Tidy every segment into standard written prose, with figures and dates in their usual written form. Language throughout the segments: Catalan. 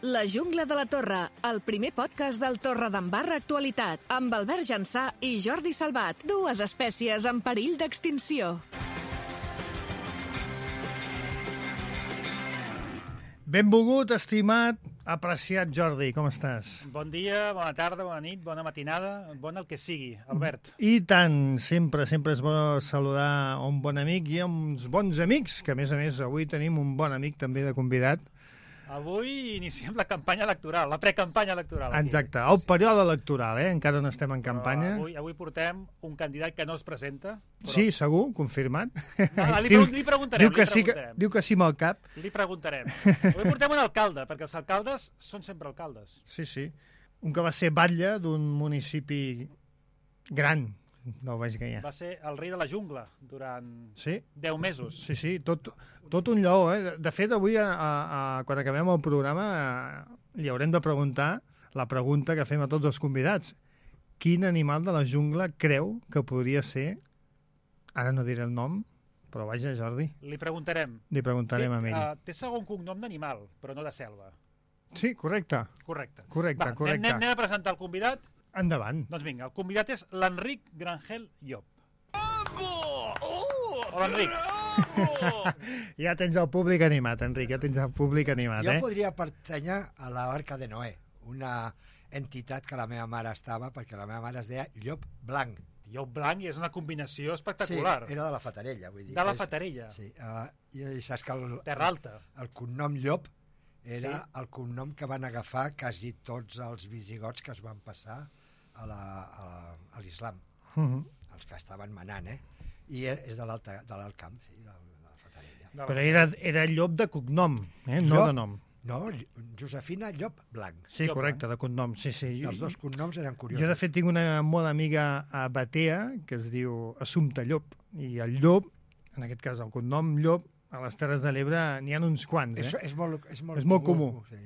La jungla de la Torre, el primer podcast del Torredembarra Actualitat, amb Albert Jansà i Jordi Salvat, dues espècies en perill d'extinció. Benvolgut, estimat, apreciat Jordi, com estàs? Bon dia, bona tarda, bona nit, bona matinada, bon el que sigui, Albert. I tant, sempre és bo saludar un bon amic i uns bons amics, que a més avui tenim un bon amic també de convidat. Avui iniciem la campanya electoral, la precampanya electoral. Aquí. Exacte, el període electoral, encara no estem en campanya. Avui portem un candidat que no es presenta. Però... Sí, segur, confirmat. No, li preguntarem. Diu que sí amb el cap. Li preguntarem. Avui portem un alcalde, perquè els alcaldes són sempre alcaldes. Sí. Un que va ser batlle d'un municipi gran del Baix Gaià. Va ser el rei de la jungla durant 10 mesos. Sí, tot un lleó. De fet, avui, quan acabem el programa, li haurem de preguntar la pregunta que fem a tots els convidats. Quin animal de la jungla creu que podria ser, ara no diré el nom, però vaja, Jordi. Li preguntarem. Li preguntarem a ell. Té segon cognom d'animal, però no de selva. Sí, correcte. Correcte. Correcte. Anem a presentar el convidat. Endavant. Doncs vinga, el convidat és l'Enric Grangel Llop. Hola, Enric. Ja tens el públic animat, Enric, Jo podria pertànyer a la Barca de Noé, una entitat que la meva mare estava, perquè la meva mare es deia Llop Blanc. Llop Blanc, i és una combinació espectacular. Sí, era de la Fatarella, vull dir. De la Fatarella. Sí, i saps que Terra Alta. El cognom Llop era el cognom que van agafar quasi tots els visigots que es van passar a l'islam. Els que estaven manant, I és de l'alt camp, sí, de la Fatarella. Però era Llop de cognom, no de nom. No, Josefina Llop Blanc. Sí, correcte, de cognom, sí. Els dos cognoms eren curiosos. Jo, de fet, tinc una molt amiga a Batea, que es diu Assumpta Llop, i el Llop, en aquest cas el cognom Llop, a les Terres de l'Ebre n'hi ha uns quants, És molt comú. Sí.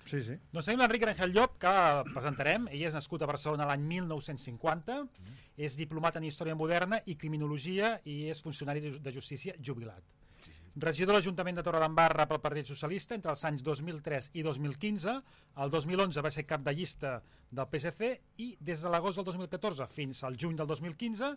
Sí. Doncs tenim l'Enric Grangel Llop, que presentarem. Ell és nascut a Barcelona l'any 1950, és diplomat en Història Moderna i Criminologia i és funcionari de justícia jubilat. Regidor de l'Ajuntament de Torredembarra pel Partit Socialista entre els anys 2003 i 2015. El 2011 va ser cap de llista del PSC i des de l'agost del 2014 fins al juny del 2015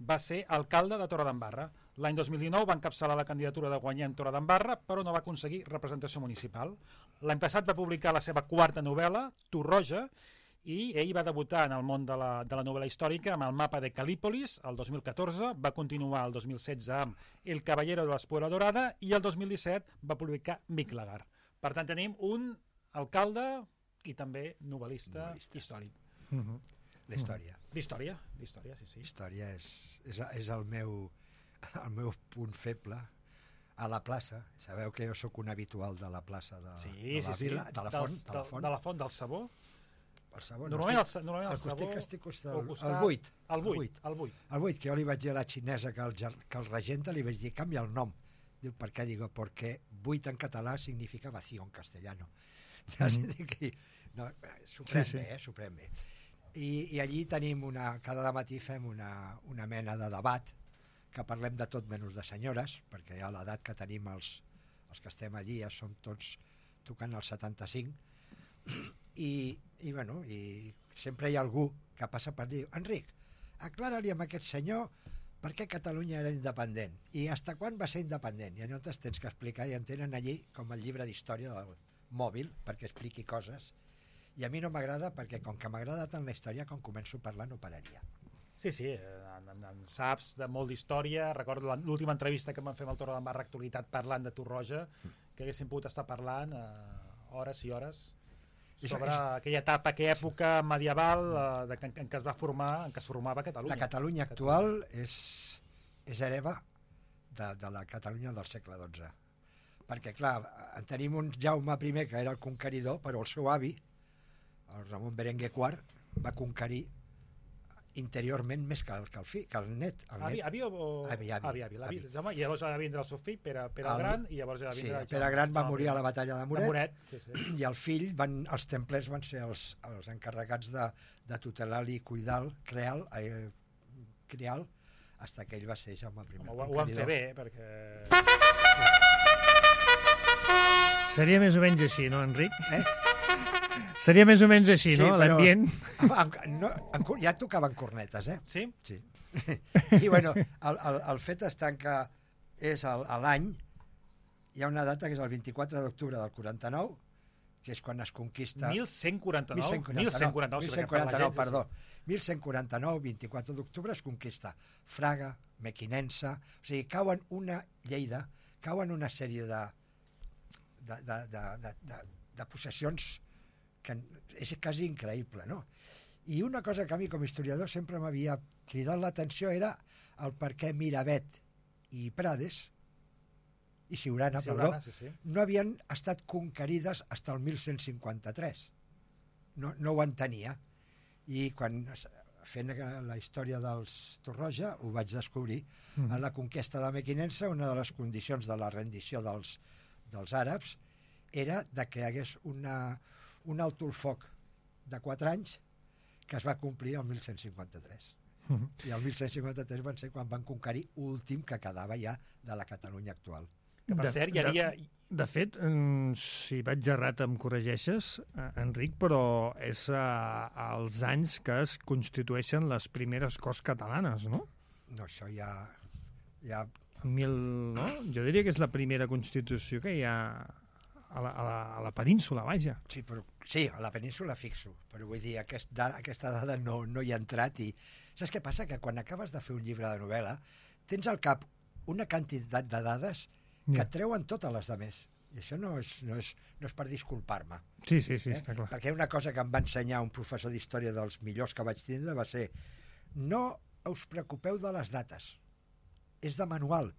va ser alcalde de Torredembarra. L'any 2019 va encapçalar la candidatura de Guanyem Torredembarra, però no va aconseguir representació municipal. L'any passat va publicar la seva quarta novel·la, Torroja, i ell va debutar en el món de la novel·la històrica amb el mapa de Calípolis el 2014, va continuar el 2016 amb El caballero de l'espuela dorada i el 2017 va publicar Miclagar. Per tant, tenim un alcalde i també novel·lista històric. D'història, sí. Història és el meu punt feble a la plaça. Sabeu que jo sóc un habitual de la plaça de la Vila, de la Font. De la Font, del Sabó. El Sabó, normalment el Sabó... El 8, que jo li vaig dir a la xinesa que el regenta, li vaig dir, canvia el nom. Diu, per què? Digo, porque 8 en català significa vacío en castellano. Suprem bé. I allí tenim cada matí fem una mena de debat que parlem de tot menys de senyores, perquè a l'edat que tenim els que estem allí ja som tots tocant els 75 i sempre hi ha algú que passa per dir, Enric, aclara-li amb aquest senyor per què Catalunya era independent i fins quan va ser independent, i llavors tens que explicar i en tenen allí com el llibre d'història del mòbil perquè expliqui coses. I a mi no m'agrada perquè, com que m'agrada tant la història, quan començo a parlar no pararia. Sí, en saps de molt d'història. Recordo l'última entrevista que vam fer amb el Torredembarra Actualitat parlant de Torroja, que haguéssim pogut estar parlant hores i hores sobre aquella etapa, aquella època medieval en què es formava Catalunya. La Catalunya actual és hereva de la Catalunya del segle XII. Perquè, clar, en tenim un Jaume I, que era el conqueridor, però el seu avi, el Ramon Berenguer IV, va conquerir interiorment més que el net. Avi. I llavors va vindre el seu fill, Pere el Gran, i llavors va vindre... Sí, Pere Gran va morir a la batalla de Moret. Sí. I el fill, els templers van ser els encarregats de tutelar-li i cuidar criar fins que ell va ser Jaume I. Ho van fer bé, perquè... Seria més o menys així, no, Enric? Eh? Seria més o menys així, Sí, no? però- L'ambient. Ja tocaven cornetes, eh? Sí? Sí. I bueno, el fet està en que és a l'any, hi ha una data que és el 24 d'octubre del 49, que és quan es conquista... 1149? 1149, sí, perquè per la gent, perdó. 1149, 24 d'octubre, es conquista Fraga, Mequinensa... O sigui, cauen una Lleida, cauen una sèrie de possessions que és quasi increïble, no? I una cosa que a mi com a historiador sempre m'havia cridat l'atenció era el per què Miravet i Prades i Siurana, sí. no havien estat conquerides fins al 1153. No ho entenia. I quan fent la història dels Torroja ho vaig descobrir. A la conquesta de Mequinensa, una de les condicions de la rendició dels àrabs era de que hi hagués un alto el foc de 4 anys que es va complir el 1153. I el 1153 van ser quan van conquerir últim que quedava ja de la Catalunya actual. Que per cert, hi havia... De fet, si vaig errat em corregeixes, Enric, però és als anys que es constitueixen les primeres Corts Catalanes, no? No, això ja... No? Jo diria que és la primera Constitució que hi ha a la península, vaja. Sí, a la península fixo, però vull dir, aquesta dada no hi ha entrat i... Saps què passa? Que quan acabes de fer un llibre de novel·la tens al cap una quantitat de dades que et treuen totes les demés. I això no és per disculpar-me. Sí, està clar. Perquè una cosa que em va ensenyar un professor d'història dels millors que vaig tindre va ser: no us preocupeu de les dates, és de manual.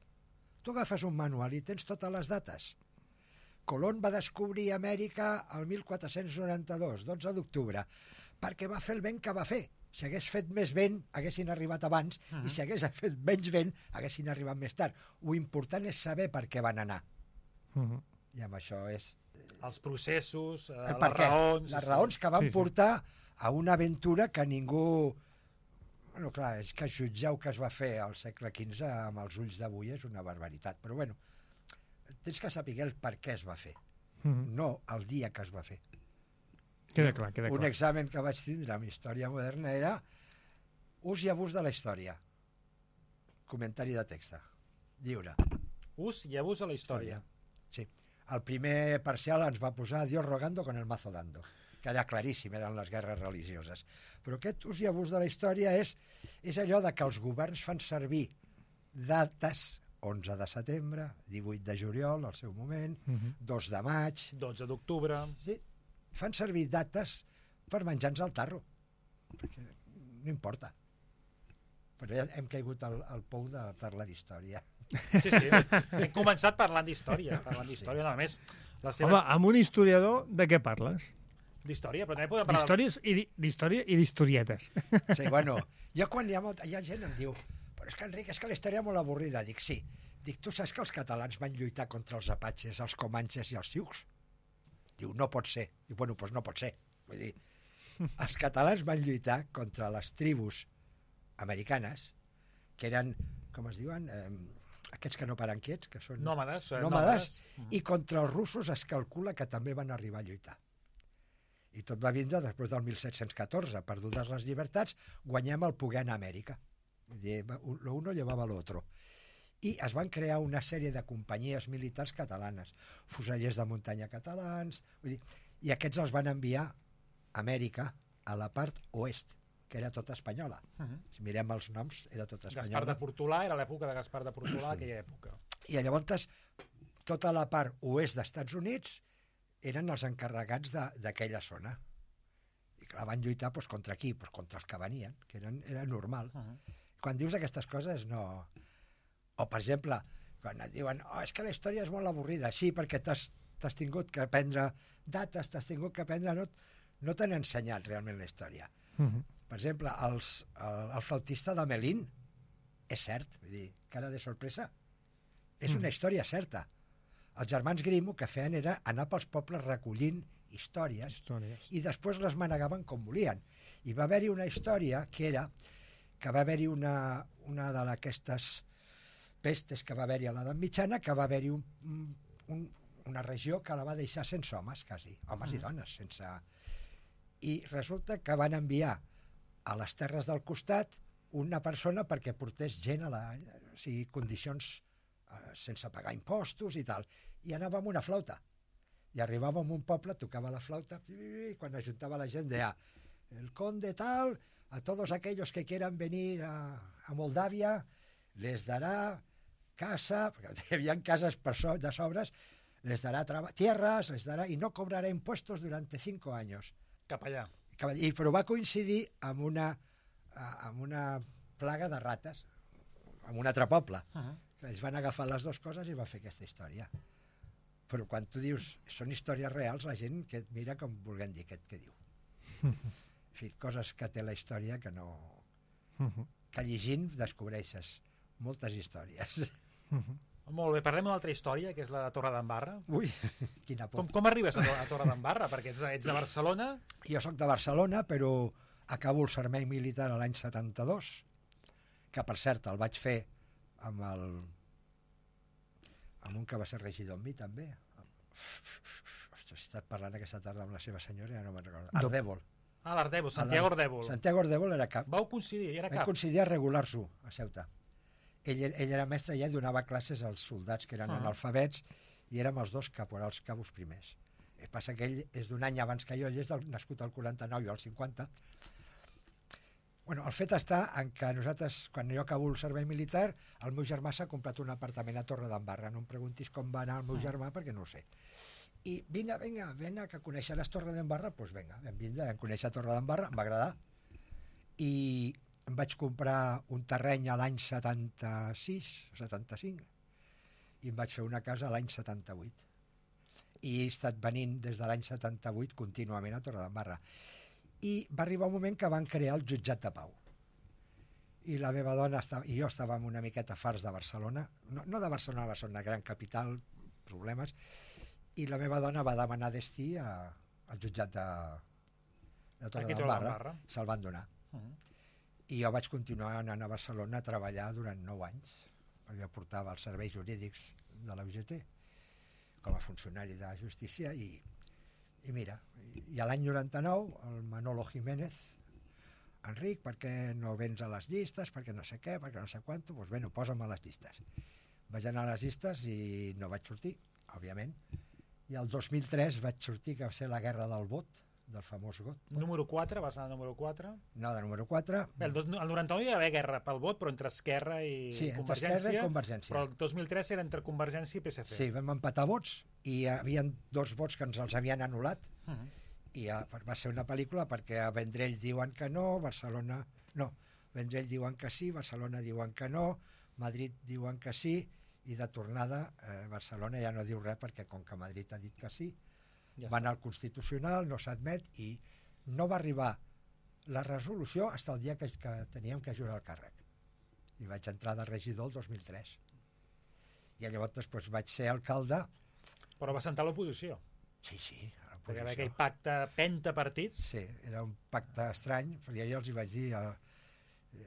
Tu agafes un manual i tens totes les dates. Colón va descobrir Amèrica el 1492, 12 d'octubre, perquè va fer el vent que va fer. Si hagués fet més vent, haguessin arribat abans, i si hagués fet menys vent, haguessin arribat més tard. Lo important és saber per què van anar. I amb això és... Els processos, les raons... Les raons que van portar a una aventura que ningú... Bueno, clar, és que jutjar el que es va fer al segle XV amb els ulls d'avui és una barbaritat, però bueno, tens que saber el per què es va fer, no el dia que es va fer. Queda clar. Un examen que vaig tindre amb història moderna era ús i abús de la història. Comentari de text. Lliure. Ús i abús de la història. Sí. El primer parcial ens va posar Dios rogando con el mazo dando, que era claríssim, eren les guerres religioses. Però aquest ús i abús de la història és allò de que els governs fan servir dates, 11 de setembre, 18 de juliol, al seu moment, 2 de maig... 12 d'octubre... Sí, fan servir dates per menjar-nos el tarro. Perquè no importa. Però ja hem caigut al pou de parlar d'història. Sí, hem començat parlant d'història. Només... Home, amb un historiador, de què parles? D'història, però també podem parlar... D'història i d'historietes. Sí, bueno, jo quan hi ha gent em diu però és que, Enric, és que la història és molt avorrida. Dic, sí. Dic, tu saps que els catalans van lluitar contra els apatxes, els comanxes i els sioux? Diu, no pot ser. Diu, bueno, doncs no pot ser. Vull dir, els catalans van lluitar contra les tribus americanes, que eren, com es diuen, aquests que no paren quiets, que són... Nòmades. I contra els russos es calcula que també van arribar a lluitar. I tot va vindre després del 1714. Perdudes les llibertats, guanyem el poder anar a Amèrica. Vull dir, lo uno llevaba lo otro. I es van crear una sèrie de companyies militars catalanes, fusellers de muntanya catalans, vull dir, i aquests els van enviar a Amèrica, a la part oest, que era tota espanyola. Si mirem els noms, era tota espanyola. Gaspar de Portolà, era l'època de Gaspar de Portolà, aquella època. I llavors, tota la part oest d'Estats Units eren els encarregats d'aquella zona. I clar, van lluitar contra qui? Contra els que venien, que era normal. Quan dius aquestes coses, no... O, per exemple, quan et diuen és que la història és molt avorrida. Sí, perquè t'has tingut que aprendre dates, t'has tingut que aprendre... No t'han ensenyat realment la història. Per exemple, el flautista de Melín és cert, vull dir, cara de sorpresa. És una història certa. Els germans Grimm el que feien era anar pels pobles recollint històries i després les manegaven com volien. I va haver-hi una història que va haver-hi una d'aquestes pestes que va haver-hi a l'edat mitjana, que va haver-hi una regió que la va deixar sense homes, quasi, homes i dones, sense... I resulta que van enviar a les terres del costat una persona perquè portés gent o sigui, condicions sense pagar impostos i tal. I anava amb una flauta. I arribava a un poble, tocava la flauta, i quan ajuntava la gent deia el conde tal, a todos aquellos que quieran venir a Moldàvia, les darà casa, perquè hi havia cases de sobres, les darà tierras, les darà, y no cobrará impuestos durante 5 años. Cap allà. Però va coincidir amb una plaga de rates, en un altre poble. Ells van agafar les dues coses i va fer aquesta història. Però quan tu dius són històries reals, la gent que et mira com vulguem dir què diu. En fi, coses que té la història que no... que llegint descobreixes moltes històries. Molt bé, parlem d'una altra història, que és la de Torre d'Embarra. Ui, quina por. Com arribes a Torre d'Embarra? Perquè ets de Barcelona. Jo sóc de Barcelona, però acabo el servei militar a l'any 72, que per cert el vaig fer amb un que va ser regidor amb mi també. Ostres, he estat parlant aquesta tarda amb la seva senyora, ja no me'n recordo. Ardèvol. L'Ardèvol, Santiago Ardèvol. Santiago Ardèvol era cap. Vau coincidir, era cap. Vam coincidir a regular-s'ho a Ceuta. Ell era mestre i ell donava classes als soldats que eren analfabets i érem els dos caporals cabos primers. El que passa que ell és d'un any abans que jo, ell és nascut al 49 i al 50. Bueno, el fet està en que nosaltres, quan jo acabo el servei militar, el meu germà s'ha comprat un apartament a Torre d'Embarra. No em preguntis com va anar el meu germà perquè no ho sé. I vinga, que coneixeràs Torre d'Embarra? Doncs vinga, vam conèixer Torre d'Embarra, em va agradar. I em vaig comprar un terreny a l'any 76, 75, i em vaig fer una casa a l'any 78. I he estat venint des de l'any 78 contínuament a Torre d'Embarra. I va arribar un moment que van crear el jutjat de pau. I la meva dona i jo estàvem una miqueta farts de Barcelona, no de Barcelona, una gran capital, problemes, i la meva dona va demanar destí al jutjat de Torre d'Embarra. Se'l van donar. I jo vaig continuar anant a Barcelona a treballar durant 9 anys, perquè jo portava els serveis jurídics de la UGT com a funcionari de justícia i mira, i a l'any 99 el Manolo Jiménez, Enric, per què no vens a les llistes, perquè no sé què, perquè no sé quant, doncs bueno, posa'm a les llistes. Vaig anar a les llistes i no vaig sortir, òbviament, i el 2003 vaig sortir, que va ser la guerra del vot, del famós vot. Número 4, vas anar número 4? No, de número 4. Bé, el 99 hi va haver guerra pel vot, però entre Esquerra i sí, Convergència. Sí, entre Esquerra i Convergència. Però el 2003 era entre Convergència i PSC. Sí, vam empatar vots i hi havia 2 vots que ens els havien anul·lat i va ser una pel·lícula perquè a Vendrell diuen que no, Barcelona... No, Vendrell diuen que sí, Barcelona diuen que no, Madrid diuen que sí i de tornada Barcelona ja no diu res perquè com que Madrid ha dit que sí, ja va anar al Constitucional, no s'admet i no va arribar la resolució fins el dia que teníem que jurar el càrrec. I vaig entrar de regidor el 2003. I llavors després vaig ser alcalde. Però va sentar l'oposició. Sí, a perquè va aquell pacte pentapartit. Sí, era un pacte estrany, perquè jo els hi vaig dir...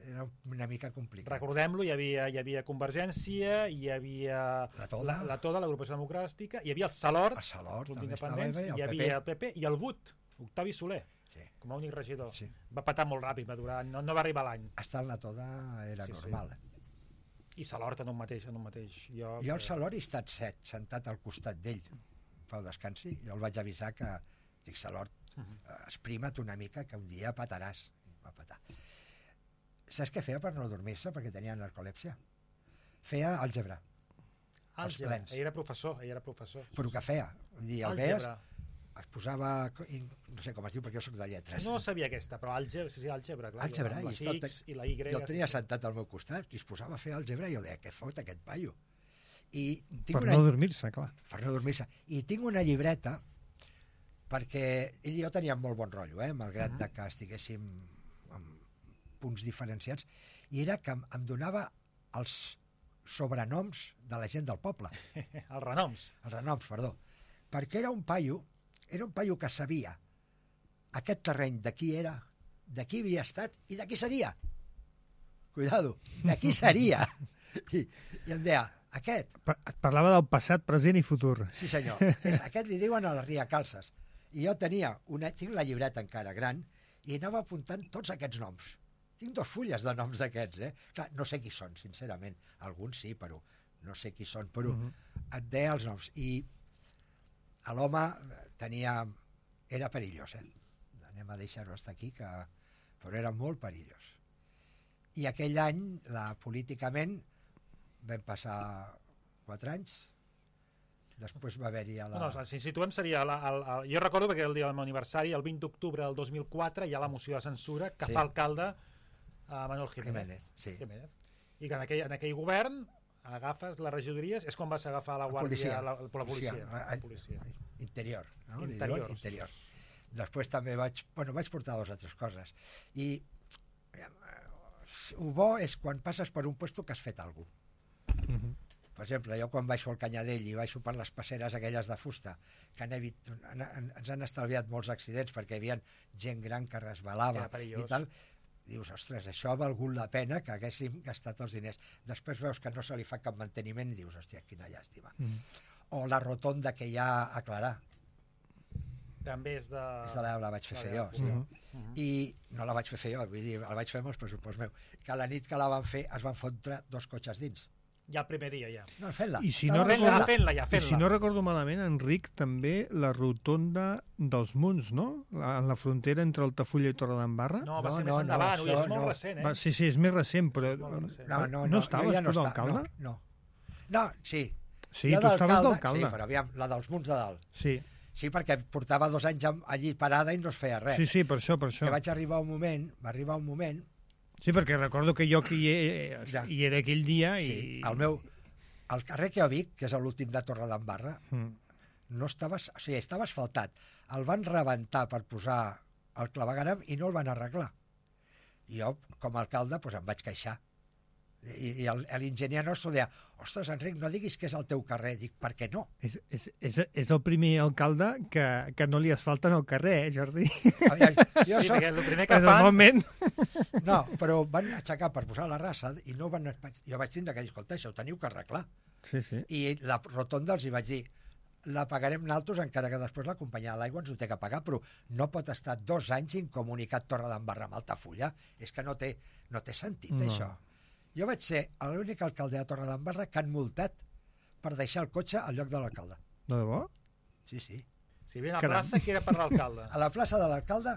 Era una mica complicat. Recordem-lo, hi havia Convergència, hi havia la Toda, l'agrupació democràtica, hi havia el Salort, també estava bé, hi havia el PP i el BUT, Octavi Soler, com a únic regidor. Sí. Va patar molt ràpid, va durar, no va arribar l'any. Estar en la Toda era normal. I Salort en un mateix lloc. Jo el Salort he estat sentat al costat d'ell, fa descansi, jo el vaig avisar que, dic, Salort, esprima't una mica que un dia pataràs. Va patar. Saps què feia per no dormir-se? Perquè tenia narcolèpsia. Feia àlgebra. Àlgebra. Ell era professor. Però què feia? El veies, es posava... No sé com es diu, perquè jo soc de lletres. No sabia aquesta, però àlgebra, clar. Àlgebra. La X i la Y. Jo el tenia sentat al meu costat i es posava a fer àlgebra i jo deia, què fot aquest paio? Per no dormir-se, clar. Per no dormir-se. I tinc una llibreta perquè ell i jo teníem molt bon rotllo, malgrat que estiguéssim amb punts diferenciats, i era que em donava els sobrenoms de la gent del poble. Els renoms. Els renoms, perdó. Perquè era un paio que sabia aquest terreny de qui era, de qui havia estat i de qui seria. Cuidado, de qui seria. I em deia, Aquest. Et parlava del passat, present i futur. Sí, senyor. Aquest li diuen a la Ria Calces. I jo tinc la llibreta encara gran i anava apuntant tots aquests noms. Tinc 2 fulles de noms d'aquests, Clar, no sé qui són, sincerament. Alguns sí, però no sé qui són, però et deia els noms. I l'home era perillós, Anem a deixar-ho estar aquí, però era molt perillós. I aquell any, políticament, vam passar 4 anys. Després va haver-hi si situem seria... jo recordo perquè el dia del meu aniversari, el 20 d'octubre del 2004, hi ha la moció de censura que fa alcalde Manuel Jiménez. Sí. I que en aquell govern agafes les regidories, és com vas agafar la guàrdia, la policia. Interior. No? Interior. Després també vaig portar 2 o 3 coses. I el bo és quan passes per un puesto que has fet alguna cosa. Per exemple, jo quan baixo al Canyadell i baixo per les passeres aquelles de fusta, que ens han estalviat molts accidents perquè hi havia gent gran que resbalava i tal, dius, ostres, això ha valgut la pena que haguéssim gastat els diners. Després veus que no se li fa cap manteniment i dius, hòstia, quina llàstima. O la rotonda que hi ha a Clarà. També és de... La vaig fer jo, sí. I no la vaig fer jo, vull dir, la vaig fer amb els pressupost meu. Que la nit que la van fer es van fotre 2 cotxes dins. Ja el primer dia, ja. No, fent-la. I si no recordo malament, Enric, també la rotonda dels Munts, no? En la frontera entre Altafulla i Torredembarra. No, va ser més endavant, és molt recent, Sí, és més recent, però... No estaves tu d'alcalde? No, sí. Sí, tu estaves d'alcalde. Sí, però aviam, la dels Munts de dalt. Sí, perquè portava 2 anys allí parada i no es feia res. Sí, per això. Que va arribar un moment... Sí, perquè recordo que jo hi era aquell dia i... Sí, el carrer que jo dic, que és l'últim de Torredembarra, no estava... O sigui, estava asfaltat. El van rebentar per posar el clavegueram i no el van arreglar. I jo, com a alcalde, em vaig queixar. I l'enginyer nostre deia, ostres, Enric, no diguis que és el teu carrer. Dic, per què no? És el primer alcalde que no li asfalten el carrer, Jordi? Perquè el primer que fan... Normalment... No, però van aixecar per posar la raça i no van... Jo vaig tindre que dir, escolta, això ho teniu que arreglar. Sí. I la rotonda els hi vaig dir, la pagarem nosaltres, encara que després la companyia de l'aigua ens ho té que pagar, però no pot estar 2 anys incomunicat Torredembarra amb Altafulla. És que no té sentit, això. Jo vaig ser l'únic alcalde de Torredembarra que han multat per deixar el cotxe al lloc de l'alcalde. De debò? Sí. Si hi havia una plaça que era per l'alcalde. A la plaça de l'alcalde...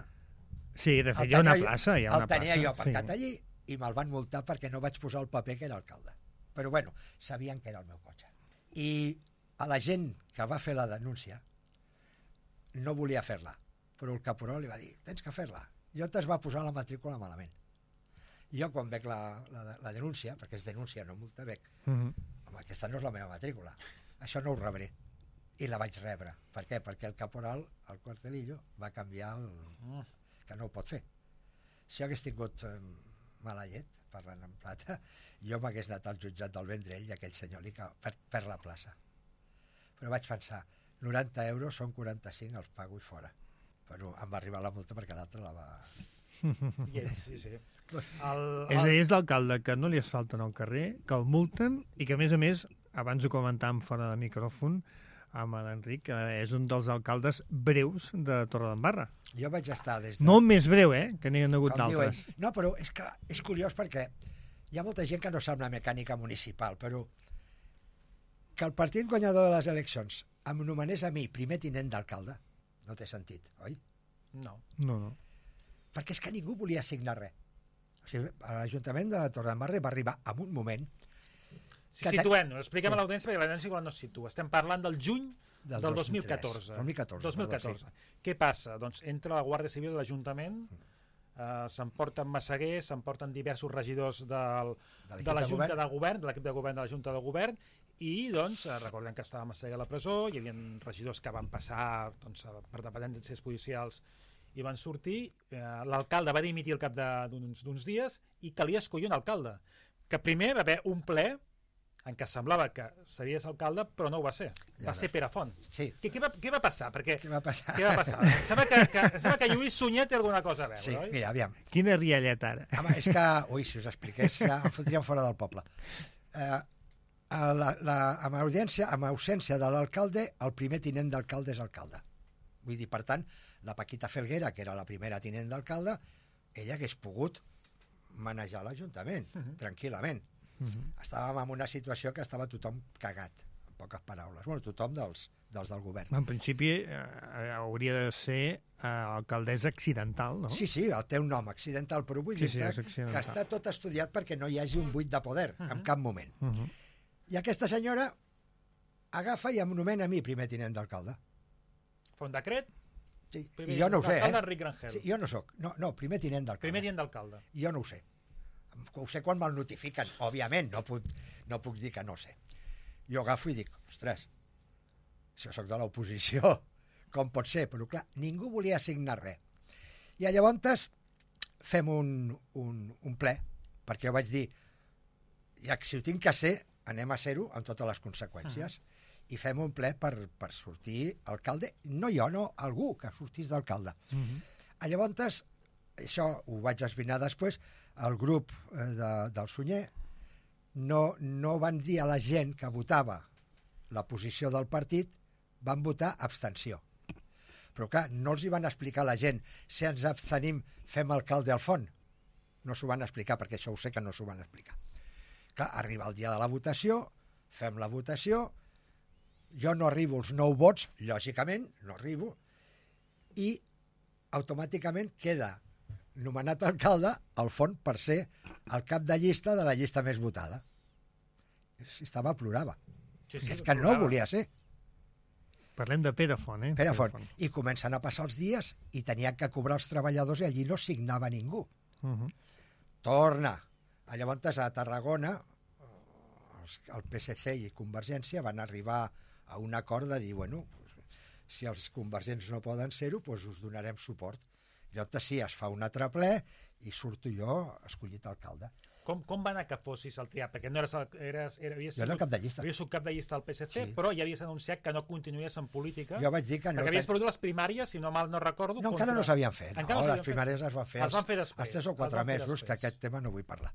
Sí, de fet hi ha una plaça. El tenia jo aparcat allí i me'l van multar perquè no vaig posar el paper que era alcalde. Però bueno, sabien que era el meu cotxe. I a la gent que va fer la denúncia no volia fer-la, però el caporal li va dir, tens que fer-la. Jo t'es va posar la matrícula malament. Jo quan veig la denúncia, perquè és denúncia, no multa, veig, home, aquesta no és la meva matrícula, això no ho rebré. I la vaig rebre. Per què? Perquè el caporal, el Cuartelillo, va canviar que no ho pot fer. Si jo hagués tingut mala llet, parlant en plata, jo m'hagués anat al jutjat del Vendrell i aquell senyor li per la plaça. Però vaig pensar, 90 euros són 45, els pago i fora. Però em va arribar la multa perquè l'altre la va... Sí. És a dir, és l'alcalde que no li asfalten al carrer, que el multen i que, a més, abans ho comentàvem fora de micròfon amb l'Enric, que és un dels alcaldes breus de Torredembarra. Jo vaig estar des de... No el més breu, que n'hi ha hagut d'altres. No, però és que és curiós perquè hi ha molta gent que no sap la mecànica municipal, però que el partit guanyador de les eleccions em nomenés a mi primer tinent d'alcalde no té sentit, oi? No. Perquè és que ningú volia signar res. O sigui, l'Ajuntament de Torredembarra va arribar en un moment... Situem-ho, expliquem a l'audiència perquè l'audiència igual no es situa. Estem parlant del juny del 2014. 2014. Què passa? Doncs entra la Guàrdia Civil de l'Ajuntament, s'emporten Massaguer, s'emporten diversos regidors de la Junta de Govern, de l'equip de govern de la Junta de Govern, i doncs recordem que estava Massaguer a la presó, hi havia regidors que van passar per dependències policials i van sortir, l'alcalde va dimitir al cap d'uns dies i calia escollir un alcalde, que primer va haver un ple en què semblava que series alcalde, però no ho va ser. Va ser Pere Font. Sí. Què va passar? Què va passar? Em sembla que Lluís Sunyer té alguna cosa a veure, oi? Sí, mira, aviam. Quina rialleta, ara. Home, és que, si us expliqués, em fotríem fora del poble. Amb ausència de l'alcalde, el primer tinent d'alcalde és alcalde. Vull dir, per tant, la Paquita Felguera, que era la primera tinent d'alcalde, ella hagués pogut manejar l'Ajuntament, tranquil·lament. Estàvem en una situació que estava tothom cagat, en poques paraules. Bueno, tothom dels del govern. En principi hauria de ser alcaldessa accidental, no? Sí, té un nom, accidental, però vull dir que està tot estudiat perquè no hi hagi un buit de poder en cap moment. I aquesta senyora agafa i em nomena a mi primer tinent d'alcalde. Fa un decret? Sí, i jo no ho sé, Enric Rangel. Sí, jo no soc. No, primer tinent d'alcalde. Primer tinent d'alcalde. Jo no ho sé. Ho sé quan me'l notifiquen. Òbviament, no puc dir que no sé. Jo agafo i dic, ostres, si jo soc de l'oposició, com pot ser? Però clar, ningú volia assignar res. I llavors fem un ple, perquè jo vaig dir, ja que si ho tinc que ser, anem a ser-ho amb totes les conseqüències. I fem un ple per sortir alcalde, no jo, no, algú que sortís d'alcalde. Llavors, això ho vaig esbrinar després, el grup del Sunyer no van dir a la gent que votava la posició del partit, van votar abstenció. Però clar, no els hi van explicar a la gent si ens abstenim fem alcalde al font. No s'ho van explicar, perquè això ho sé que no s'ho van explicar. Clar, arriba el dia de la votació, fem la votació, jo no arribo als 9 vots, lògicament, no arribo, i automàticament queda nomenat alcalde al font per ser el cap de llista de la llista més votada. Estava, plorava. Sí, és que no volia ser. Parlem de Pere Font, eh? Pere Font. I comencen a passar els dies i tenien que cobrar els treballadors i allí no signava ningú. Torna. Llavors a Tarragona el PSC i Convergència van arribar a un acord de dir, bueno, si els convergents no poden ser-ho, doncs us donarem suport. Llavors sí, es fa un altre ple i surto jo escollit alcalde. Com va anar que fossis el triat? Perquè no jo era cap de llista. Havies sigut cap de llista del PSC, però ja havies anunciat que no continuies en política. Jo vaig dir que no. Perquè havies perdut les primàries, si no mal no recordo. No, encara no s'havien fet. No, les primàries es van fer els 3 o 4 mesos, que aquest tema no vull parlar.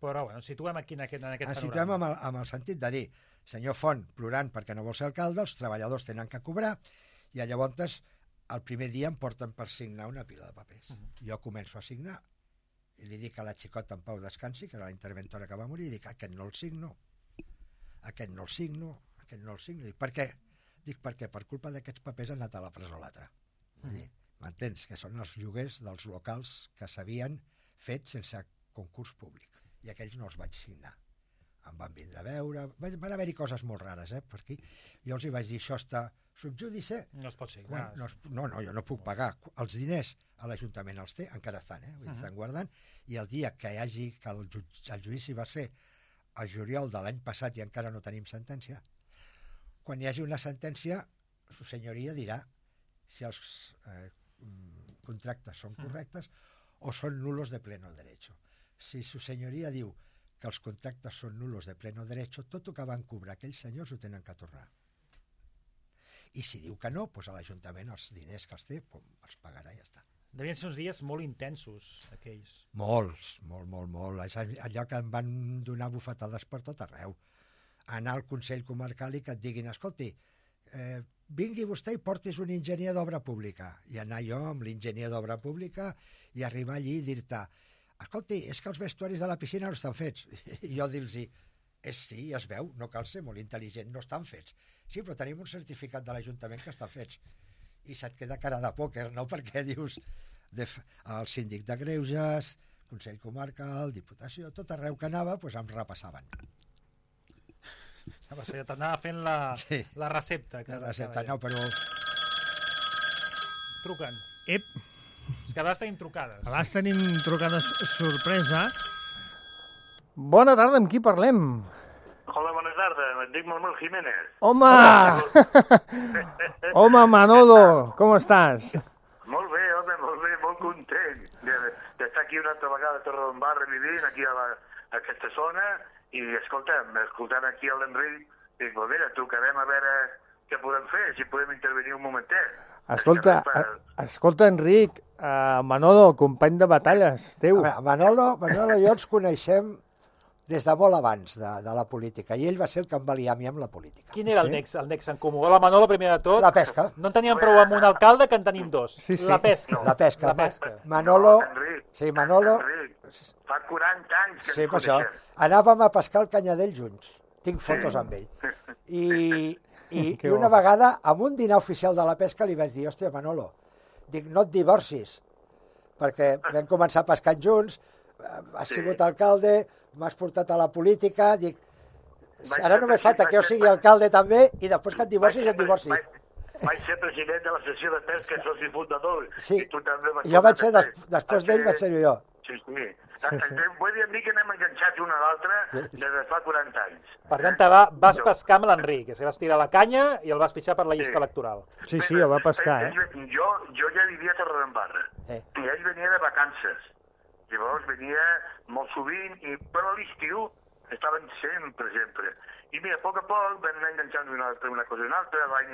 Però, bueno, situem aquí en aquest panorama. Situem amb el sentit de dir, senyor Font, plorant perquè no vol ser alcalde, els treballadors tenen que cobrar, i llavors el primer dia em porten per signar una pila de papers. Jo començo a signar, i li dic a la xicota en Pau Descansi, que era la interventora que va morir, i dic, aquest no el signo, aquest no el signo, aquest no el signo. Dic, per què? Dic, perquè per culpa d'aquests papers ha anat a la presó l'altre. M'entens? Que són els lloguers dels locals que s'havien fet sense concurs públic. I aquells no els vaig signar. Em van vindre a veure, van haver-hi coses molt rares, per aquí. Jo els hi vaig dir, això està subjúdice. No es pot signar. No, jo no puc pagar. Els diners a l'Ajuntament els té, encara estan, estan guardant, i el dia que el judici va ser el juliol de l'any passat i encara no tenim sentència, quan hi hagi una sentència, su senyoria dirà si els contractes són correctes o són nulos de pleno derecho. Si su senyoria diu que els contractes són nulos de pleno derecho, tot el que van cobrar aquells senyors ho tenen que tornar. I si diu que no, doncs a l'Ajuntament els diners que els té els pagarà i ja està. Devien ser uns dies molt intensos, aquells. Molts. Allò que em van donar bufetades per tot arreu. Anar al Consell Comarcal i que et diguin, escolti, vingui vostè i portis un enginyer d'obra pública. I anar jo amb l'enginyer d'obra pública i arribar allí i dir-te, escolti, és que els vestuaris de la piscina no estan fets. I jo dir-los, sí, es veu, no cal ser molt intel·ligent, no estan fets. Sí, però tenim un certificat de l'Ajuntament que estan fets. I se't queda cara de pòquer, no? Perquè dius, el síndic de Greuges, Consell Comarcal, Diputació, tot arreu que anava, doncs em repassaven. T'anava fent la recepta. La recepta, no, però... Truquen. Ep. És que a vegades tenim trucades. A vegades tenim trucades sorpresa. Bona tarda, amb qui parlem? Hola, bona tarda, em dic Manuel Jiménez. Home! Home, Manolo, com estàs? Molt bé, home, molt content d'estar aquí una altra vegada a Torredembarra vivint, aquí a aquesta zona, i escoltant aquí l'Enric, dic, pues mira, trucarem a veure què podem fer, si podem intervenir un momentet. Escolta, Enric, Manolo, company de batalles teu. Manolo i jo ens coneixem des de molt abans de la política, i ell va ser el que em va liar a mi amb la política. Quin era el nex en comú? La Manolo, primer de tot. La pesca. No en teníem prou amb un alcalde, que en tenim dos. Sí, sí. La pesca. La pesca. La pesca. Manolo... Enric, Sí, Manolo... Enric, fa 40 anys que Sí, ens per això. coneixem. Anàvem a pescar el Canyadell junts. Tinc fotos amb ell. I Que una bo. vegada, amb un dinar oficial de la pesca, li vaig dir, hòstia, Manolo, dic, no et divorcis, perquè vam començar pescant junts, has sigut alcalde, m'has portat a la política, dic, ara només falta que jo sigui alcalde també, i després que et divorcis, et divorcis. Vaig ser president de la sessió de pesca, soci fundador, Sí, i tu també vas jo vaig ser, també. després d'ell vaig ser jo. Sí, sí. Vull dir a mi que anem enganxats un a l'altre des de fa 40 anys. Per tant, vas pescar amb l'Enric, que vas tirar la canya i el vas fitxar per la llista electoral. Sí, sí, el va pescar, Jo ja vivia a Torredembarra, i ell venia de vacances. Llavors venia molt sovint, però a l'estiu estaven sempre. I mira, a poc vam anar enganxant una cosa i una altra. L'any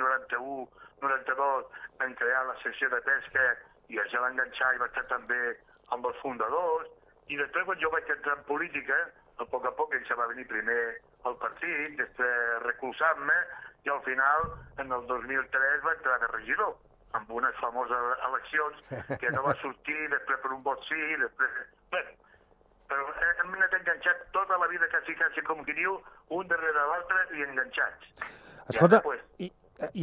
91-92 vam crear la secció de pesca i ja va enganxar i va estar també amb els fundadors. I després, quan jo vaig entrar en política, a poc ell se va venir primer al partit, després recolzant-me, i al final, en el 2003, va entrar de regidor, amb unes famoses eleccions que no va sortir, després per un vot sí, després... Bé, però hem anat enganxat tota la vida, quasi com qui diu, un darrere l'altre i enganxats. Escolta,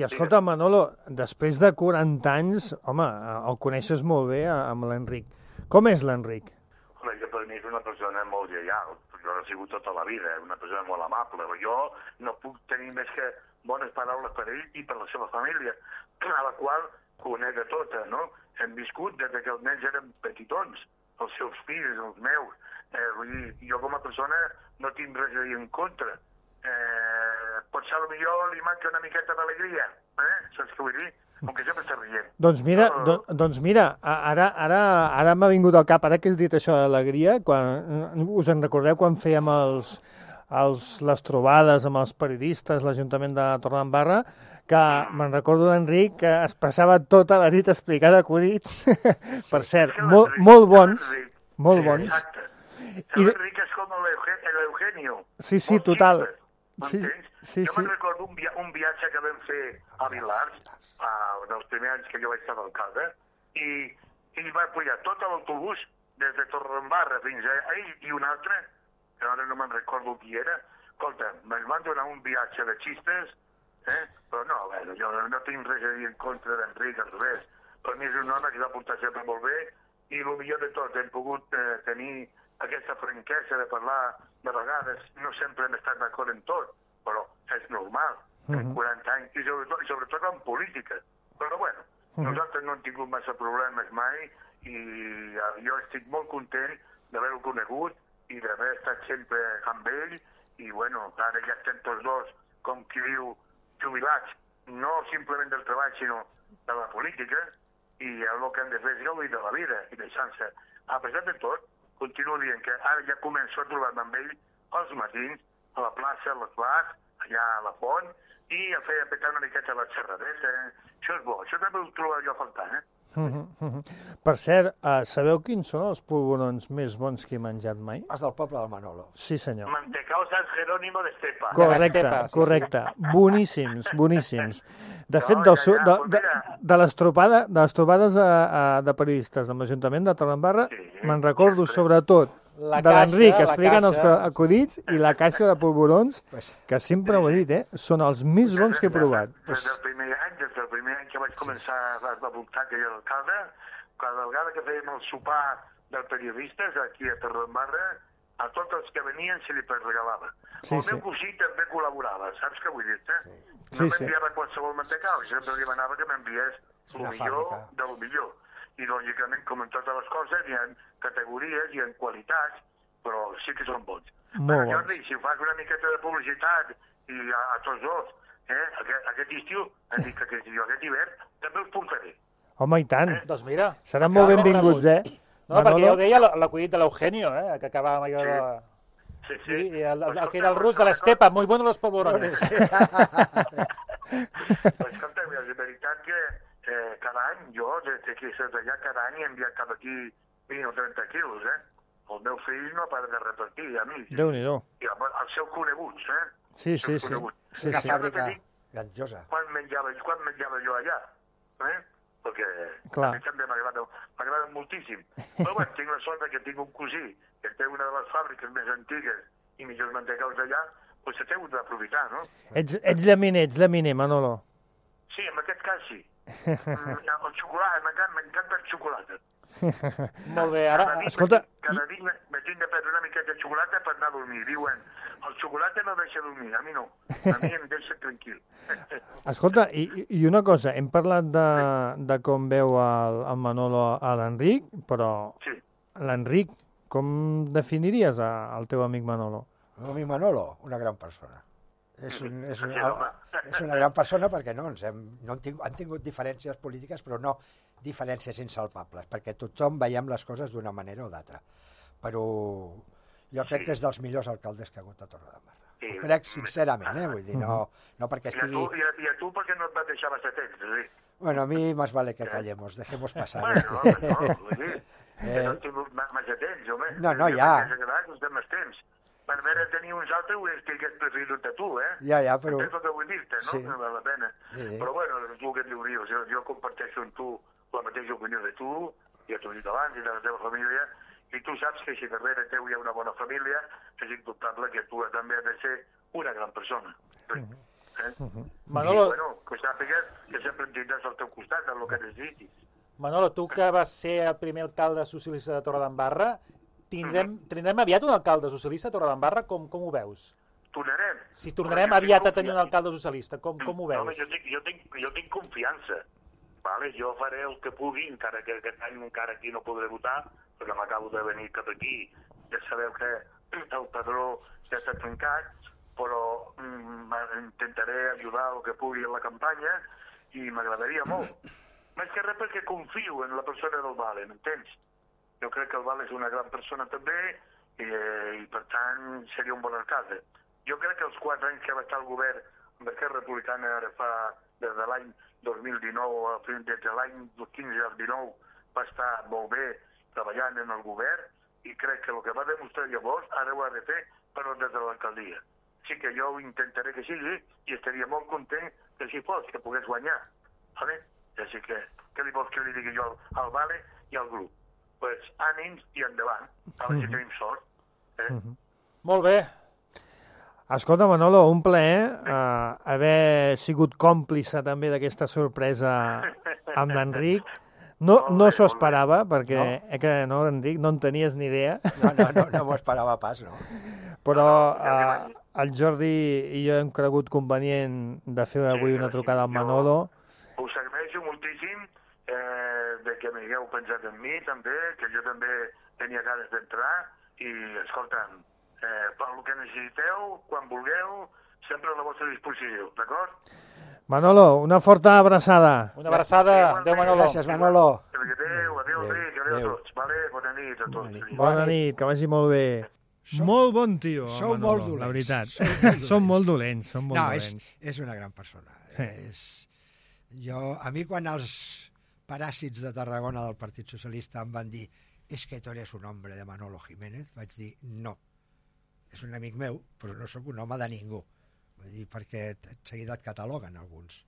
escolta, Manolo, després de 40 anys, home, el coneixes molt bé amb l'Enric. Com és l'Enric? Home, jo per mi és una persona molt lleial, jo he sigut tota la vida, una persona molt amable. Jo no puc tenir més que bones paraules per ell i per la seva família, a la qual conec a tota, no? Hem viscut des que els nens eren petitons, els seus fills, els meus. Vull dir, jo com a persona no tinc res a dir en contra. Potser potser li manca una miqueta d'alegria, saps què vull dir? Com que sempre està rient. Doncs mira, ara m'ha vingut al cap, ara que has dit això d'alegria, us en recordeu quan fèiem les trobades amb els periodistes, l'Ajuntament de Torredembarra, que me'n recordo d'Enric que es passava tota la nit explicant acudits, per cert, molt bons, molt bons. Exacte. L'Enric és com l'Eugenio. Sí, total. Jo me'n recordo un viatge que vam fer a Vilars, dels primers anys que jo vaig estar d'alcalde, i ell va pujar tot l'autobús des de Torredembarra fins a ell i un altre, que ara no me'n recordo qui era. Escolta, ens van donar un viatge de xistes, però no, bueno, jo no tinc res a dir en contra d'Enric, al revés. Per mi és un home que va portar sempre molt bé, i el millor de tot, hem pogut tenir aquesta franquesa de parlar de vegades, no sempre hem estat d'acord en tot, però és normal, en 40 anys, i sobretot en política. Però bueno, nosaltres no hem tingut massa problemes mai, i jo estic molt content d'haver-ho conegut i d'haver estat sempre amb ell, i bueno, ara ja estem tots dos, com qui diu, jubilats, no simplement del treball, sinó de la política, i el que hem de fer és gaudir de la vida i deixant-se. A pesar de tot, continuo dient que ara ja començo a trobar-me amb ell els matins, a la plaça, a les bars, allà a la font, i a fer petar una miqueta la xerradeta. Això és bo, això també ho trobo jo a faltar, Per cert, sabeu quins són els polvorons més bons que he menjat mai? Els del poble del Manolo. Sí, senyor. Mantecao San Jerónimo de Estepa. Correcte. Boníssims. De fet, de les trobades de periodistes de l'Ajuntament de Torredembarra, me'n recordo sobretot de l'Enric explicant els acudits i la caixa de polvorons, que sempre ho he dit, són els més bons que he provat. Des del primer any que vaig començar a voltar que jo era alcalde, cada vegada que fèiem el sopar dels periodistes aquí a Torredembarra, a tots els que venien se li regalava. El meu cosí també col·laborava, saps què vull dir-te? No m'enviava qualsevol mantecau, sempre li demanava que m'enviés el millor del millor. I, lògicament, com en totes les coses, hi ha categories, hi ha qualitats, però sí que són bons. Però, Jordi, si fas una miqueta de publicitat i a tots dos, aquest estiu, aquest hivern, també us portaré. Home, i tant. Doncs mira. Seran molt benvinguts, No, perquè jo deia l'acudit de l'Eugenio, que acabàvem allò de... Sí. I el que era el rus de l'Estepa, muy bueno los polvorones. Escolta, és veritat que cada any, jo, des que soc allà, cada any he enviat cap aquí 20 o 30 quilos, el meu fill no para de repartir amics. Déu-n'hi-do. I els seus coneguts, Sí. Una fàbrica grandiosa. Quan menjava jo allà, perquè Clar. a mi també m'agrada moltíssim. Però bueno, tinc la sort que tinc un cosí que té una de les fàbriques més antigues i millors mantecaus d'allà, doncs s'ha hagut d'aprofitar, no? Ets llaminer, Manolo. Sí, en aquest cas sí. El xocolata, m'encanta el xocolata. Molt bé, ara... Escolta... Cada nit me tinc de prendre una miqueta de xocolata per anar a dormir. Diuen, el xocolata no deixa dormir, a mi no. A mi em deixa tranquil. Escolta, i una cosa, hem parlat de com veu el Manolo a l'Enric, però Sí. l'Enric, com definiries el teu amic Manolo? L'amic Manolo, una gran persona. És una gran persona perquè han tingut diferències polítiques, però no diferències insalvables, perquè tothom veiem les coses d'una manera o d'altra. Però jo crec que és dels millors alcaldes que ha hagut a Torredembarra. Sí. Ho crec sincerament, vull dir, no perquè estigui... I a tu perquè no et va deixar massa temps, sí. Bueno, a mi más vale que callemos, dejemos pasar. Bueno, no, vull dir, que no he tingut massa temps, home. No, ja. Us més temps. Per veure tenir uns altres ho estigués preferit a tu, Ja, però... Entens el que vull dir-te, no? Sí. No val la pena. Sí. Però bueno, tu què et diuries? Jo comparteixo amb tu la mateixa opinió de tu, ja t'ho he dit abans, i de la teva família, i tu saps que si darrere teu hi ha una bona família, és indubtable que tu també has de ser una gran persona. Manolo... I, bueno, que sàpigues que sempre em tindràs al teu costat, en el que necessitis. Manolo, tu que vas ser el primer alcalde socialista de Torredembarra, tindrem aviat un alcalde socialista a Torredembarra? Com ho veus? Tornarem. Si tornarem aviat a tenir un alcalde socialista, com ho veus? Home, jo tinc confiança. Vale? Jo faré el que pugui, encara que aquest any encara aquí no podré votar, perquè m'acabo de venir cap aquí. Ja sabeu que el padró ja està trencat, però intentaré ajudar el que pugui en la campanya i m'agradaria molt. Més que res perquè confio en la persona del Vale, m'entens? Jo crec que el Vale és una gran persona també i per tant seria un bon alcalde. Jo crec que els 4 anys que va estar al govern d'Esquerra Republicana ara fa des de l'any 2019, des de l'any 15 al 19, va estar molt bé treballant en el govern i crec que el que va demostrar llavors ara ho ha de fer però des de l'alcaldia. Sí que jo ho intentaré que sigui i estaria molt content que si fos, que pogués guanyar. Vale? Així que, què li vols que li digui jo al Vale i al grup? Pues ànims i endavant, a veure si tenim sort. Molt bé. Escolta, Manolo, un plaer haver sigut còmplice també d'aquesta sorpresa amb l'Enric. No s'ho esperava, perquè no, Enric, no en tenies ni idea. No m'ho esperava pas, no. Però el Jordi i jo hem cregut convenient de fer avui una trucada al Manolo. Us agraeixo moltíssim de que m'hagueu pensat en mi també, que jo també tenia ganes d'entrar i, escolta'm, per el que necessiteu, quan vulgueu, sempre a la vostra disposició, d'acord? Manolo, una forta abraçada. Una abraçada. Adéu, Manolo. Gràcies, Manolo. Adéu, Enric, adéu a tots. Vale? Bona nit a tots. Bona nit, que vagi molt bé. Molt bon tio, Sou Manolo, molt dolents. la veritat. Som molt dolents, som molt dolents. És una gran persona. A mi quan els paràsits de Tarragona del Partit Socialista em van dir que tu eres un hombre de Manolo Jiménez, vaig dir no. És un amic meu, però no sóc un home de ningú. Vull dir, perquè seguida et cataloguen alguns.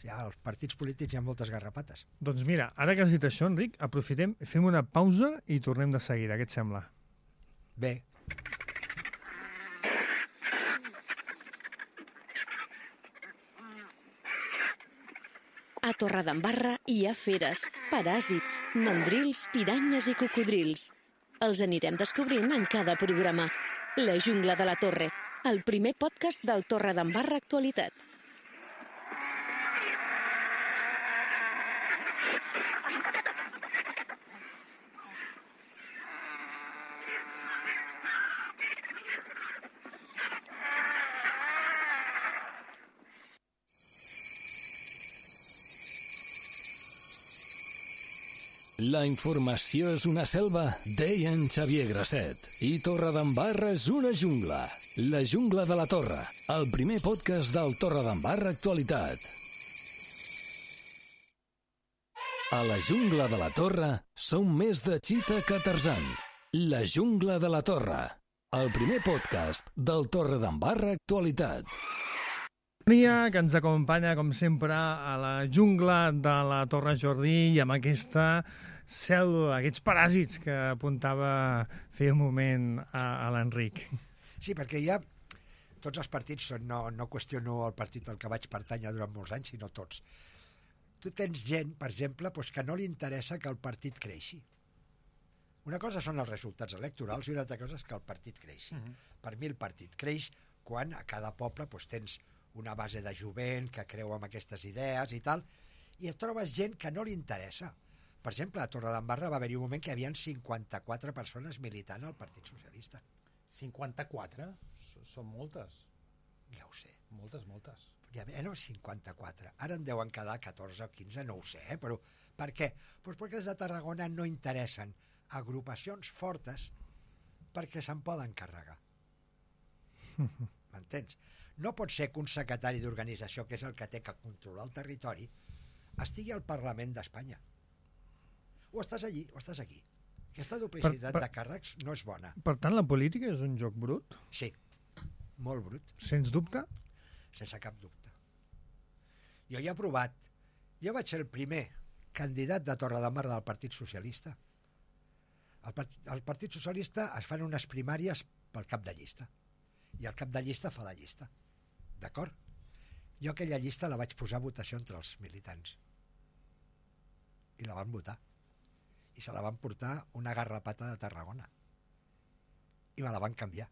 Ja, als partits polítics hi ha moltes garrapates. Doncs mira, ara que has dit això, Enric, aprofitem, fem una pausa i tornem de seguida. Què et sembla? Bé. A Torredembarra hi ha feres, paràsits, mandrils, piranyes i cocodrils. Els anirem descobrint en cada programa. La jungla de la Torre, el primer podcast del Torredembarra Actualitat. La informació és una selva, deia en Xavier Grasset. I Torredembarra és una jungla. La jungla de la Torre, el primer podcast del Torredembarra Actualitat. A la jungla de la Torre som més de Cheetah que Tarzan. La jungla de la Torre, el primer podcast del Torredembarra Actualitat. Que ens acompanya, com sempre, a la jungla de la Torre Jordí i amb aquesta cèl·lula, aquests paràsits que apuntava feia un moment a l'Enric. Sí, perquè ja tots els partits són, no qüestiono el partit al que vaig pertànyer durant molts anys, sinó tots. Tu tens gent, per exemple, que no li interessa que el partit creixi. Una cosa són els resultats electorals i una altra cosa és que el partit creixi. Per mi el partit creix quan a cada poble tens una base de jovent que creu en aquestes idees i tal, i et trobes gent que no li interessa. Per exemple, a Torredembarra va haver-hi un moment que hi havia 54 persones militant al Partit Socialista. 54? Són moltes. Ja ho sé. Moltes. Ja, no, 54. Ara en deuen quedar 14 o 15, no ho sé, però per què? Doncs perquè els de Tarragona no interessen agrupacions fortes perquè se'n poden carregar. M'entens? No pot ser que un secretari d'organització, que és el que té que controlar el territori, estigui al Parlament d'Espanya. O estàs allí o estàs aquí. Aquesta duplicitat de càrrecs no és bona. Per tant, la política és un joc brut? Sí, molt brut. Sens dubte? Sense cap dubte. Jo ja he provat. Jo vaig ser el primer candidat de Torredembarra del Partit Socialista. Al Partit Socialista es fan unes primàries pel cap de llista. I el cap de llista fa la llista. D'acord? Jo aquella llista la vaig posar a votació entre els militants. I la van votar. I se la van portar una garrapata de Tarragona. I me la van canviar.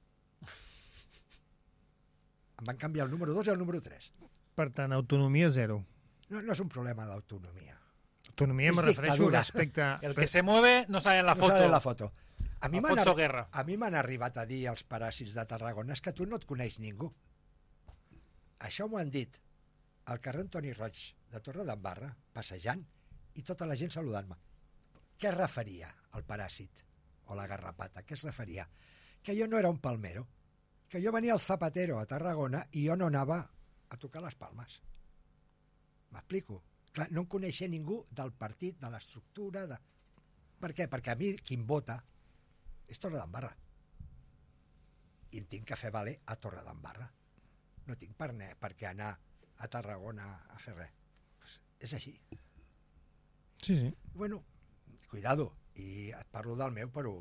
Em van canviar el número 2 i el número 3. Per tant, autonomia zero. No és un problema d'autonomia. Autonomia me refereixo respecte... El que se mueve no sale en la foto. No sale en la foto. A mi Guerra. m'han arribat a dir els paràsits de Tarragona és que tu no et coneix ningú. Això m'ho han dit al carrer Antoni Roig de Torredembarra, passejant, i tota la gent saludant-me. Què es referia al paràsit o la garrapata? Què es referia? Que jo no era un palmero, que jo venia al Zapatero a Tarragona i jo no anava a tocar les palmes. M'explico? Clar, no em coneixia ningú del partit, de l'estructura... Per què? Perquè a mi qui em vota és Torredembarra. I em tinc que fer valer a Torredembarra. No tinc per què anar a Tarragona a fer res. Pues és així. Sí. Bueno, cuidado. I et parlo del meu, però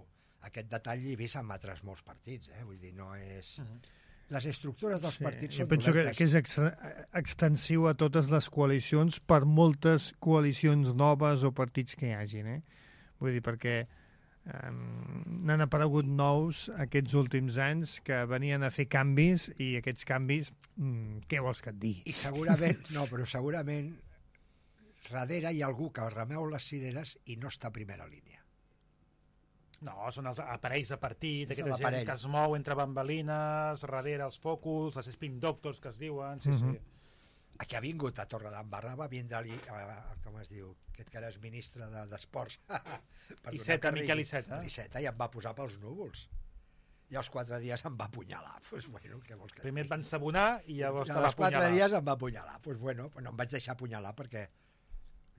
aquest detall l'he vist en altres molts partits. Vull dir, no és... Les estructures dels partits són dolentes. Jo penso que és extensiu a totes les coalicions per moltes coalicions noves o partits que hi hagin. Vull dir, perquè n'han aparegut nous aquests últims anys que venien a fer canvis i aquests canvis, què vols que et digui? I segurament darrere hi ha algú que remeu les cireres i no està a primera línia. No, són els aparells de partit, aquesta gent que es mou entre bambalines, darrere els fòculs, els spin doctors que es diuen, sí. Aquí ha vingut a Torredembarra, va vindre-li, com es diu, aquest que era ministre d'Esports. Iceta, Miquel Iceta. Iceta, i em va posar pels núvols. I als 4 dies em va apunyalar. Pues bueno, què vols que primer et van sabonar i llavors te va apunyalar. Als 4 dies em va apunyalar. Pues bueno, no em vaig deixar apunyalar perquè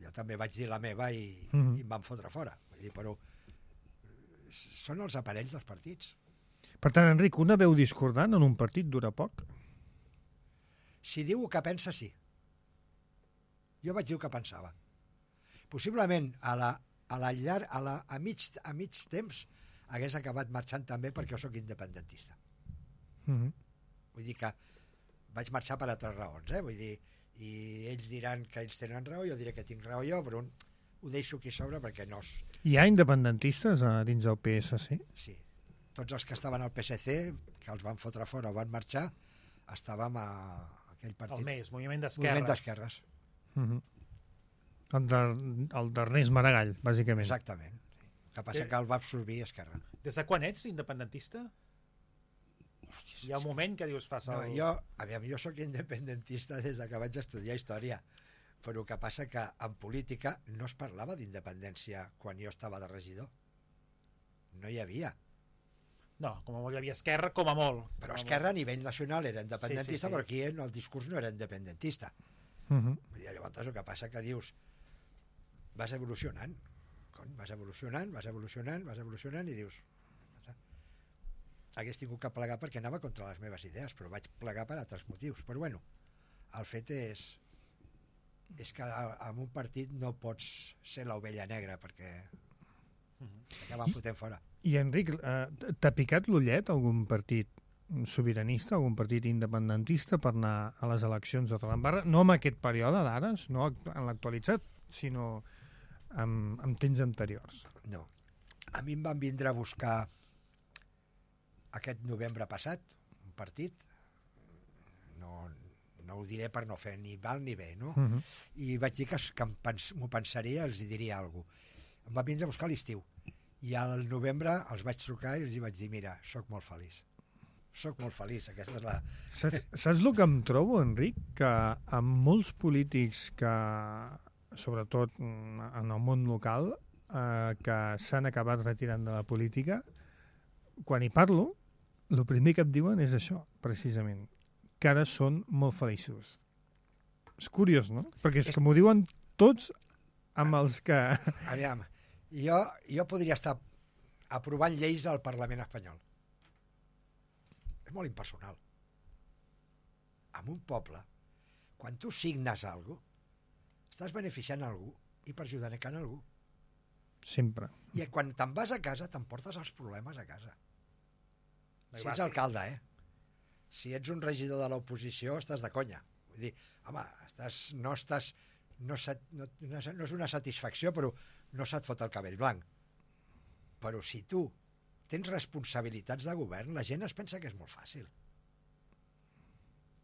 jo també vaig dir la meva i em van fotre fora. Vull dir, però són els aparells dels partits. Per tant, Enric, una veu discordant en un partit dura poc? Si diu el que pensa, sí. Jo vaig dir el que pensava. Possiblement a mig temps hagués acabat marxant també perquè jo sóc independentista. Vull dir que vaig marxar per altres raons, vull dir, i ells diran que ells tenen raó, jo diré que tinc raó jo, però ho deixo aquí sobre perquè no... Hi ha independentistes dins del PSC? Sí. Tots els que estaven al PSC, que els van fotre fora o van marxar, estàvem a aquell partit. El MES, Moviment d'Esquerres. Moviment d'Esquerres. El d'Ernest Maragall, bàsicament. Exactament. El que passa que el va absorbir Esquerra. Des de quan ets independentista? Hòstia, hi ha un moment que dius fas el... Jo sóc independentista des que vaig estudiar història, però el que passa que en política no es parlava d'independència quan jo estava de regidor. No hi havia. No, com a molt hi havia Esquerra, com a molt. Però Esquerra a nivell nacional era independentista, però aquí el discurs no era independentista. Llavors el que passa que dius vas evolucionant i dius hagués tingut que plegar perquè anava contra les meves idees, però vaig plegar per altres motius. Però bueno, el fet és que en un partit no pots ser l'ovella negra perquè t'acaben fotent fora. I Enric, t'ha picat l'ullet algun partit sobiranista, algun partit independentista per anar a les eleccions de Torredembarra? No en aquest període d'ara, no en l'actualitzat, sinó en temps anteriors. No. A mi em van vindre a buscar aquest novembre passat, un partit, no ho diré per no fer ni val ni bé, no? I vaig dir que m'ho pensaria, els hi diria alguna cosa. Em van vindre a buscar a l'estiu. I al novembre els vaig trucar i els hi vaig dir, mira, sóc molt feliç. Sóc molt feliç, aquesta és la... Saps el que em trobo, Enric? Que amb molts polítics que, sobretot en el món local, que s'han acabat retirant de la política, quan hi parlo, el primer que em diuen és això, precisament, que ara són molt feliços. És curiós, no? Perquè és que m'ho diuen tots amb els que... Aviam, jo podria estar aprovant lleis al Parlament espanyol. És molt impersonal. En un poble, quan tu signes alguna cosa, estàs beneficiant algú i perjudicant algú. Sempre. I quan te'n vas a casa, t'emportes els problemes a casa. Si ets alcalde, Si ets un regidor de l'oposició, estàs de conya. Vull dir, home, no és una satisfacció, però no se't fot el cabell blanc. Però si tu tens responsabilitats de govern, la gent es pensa que és molt fàcil.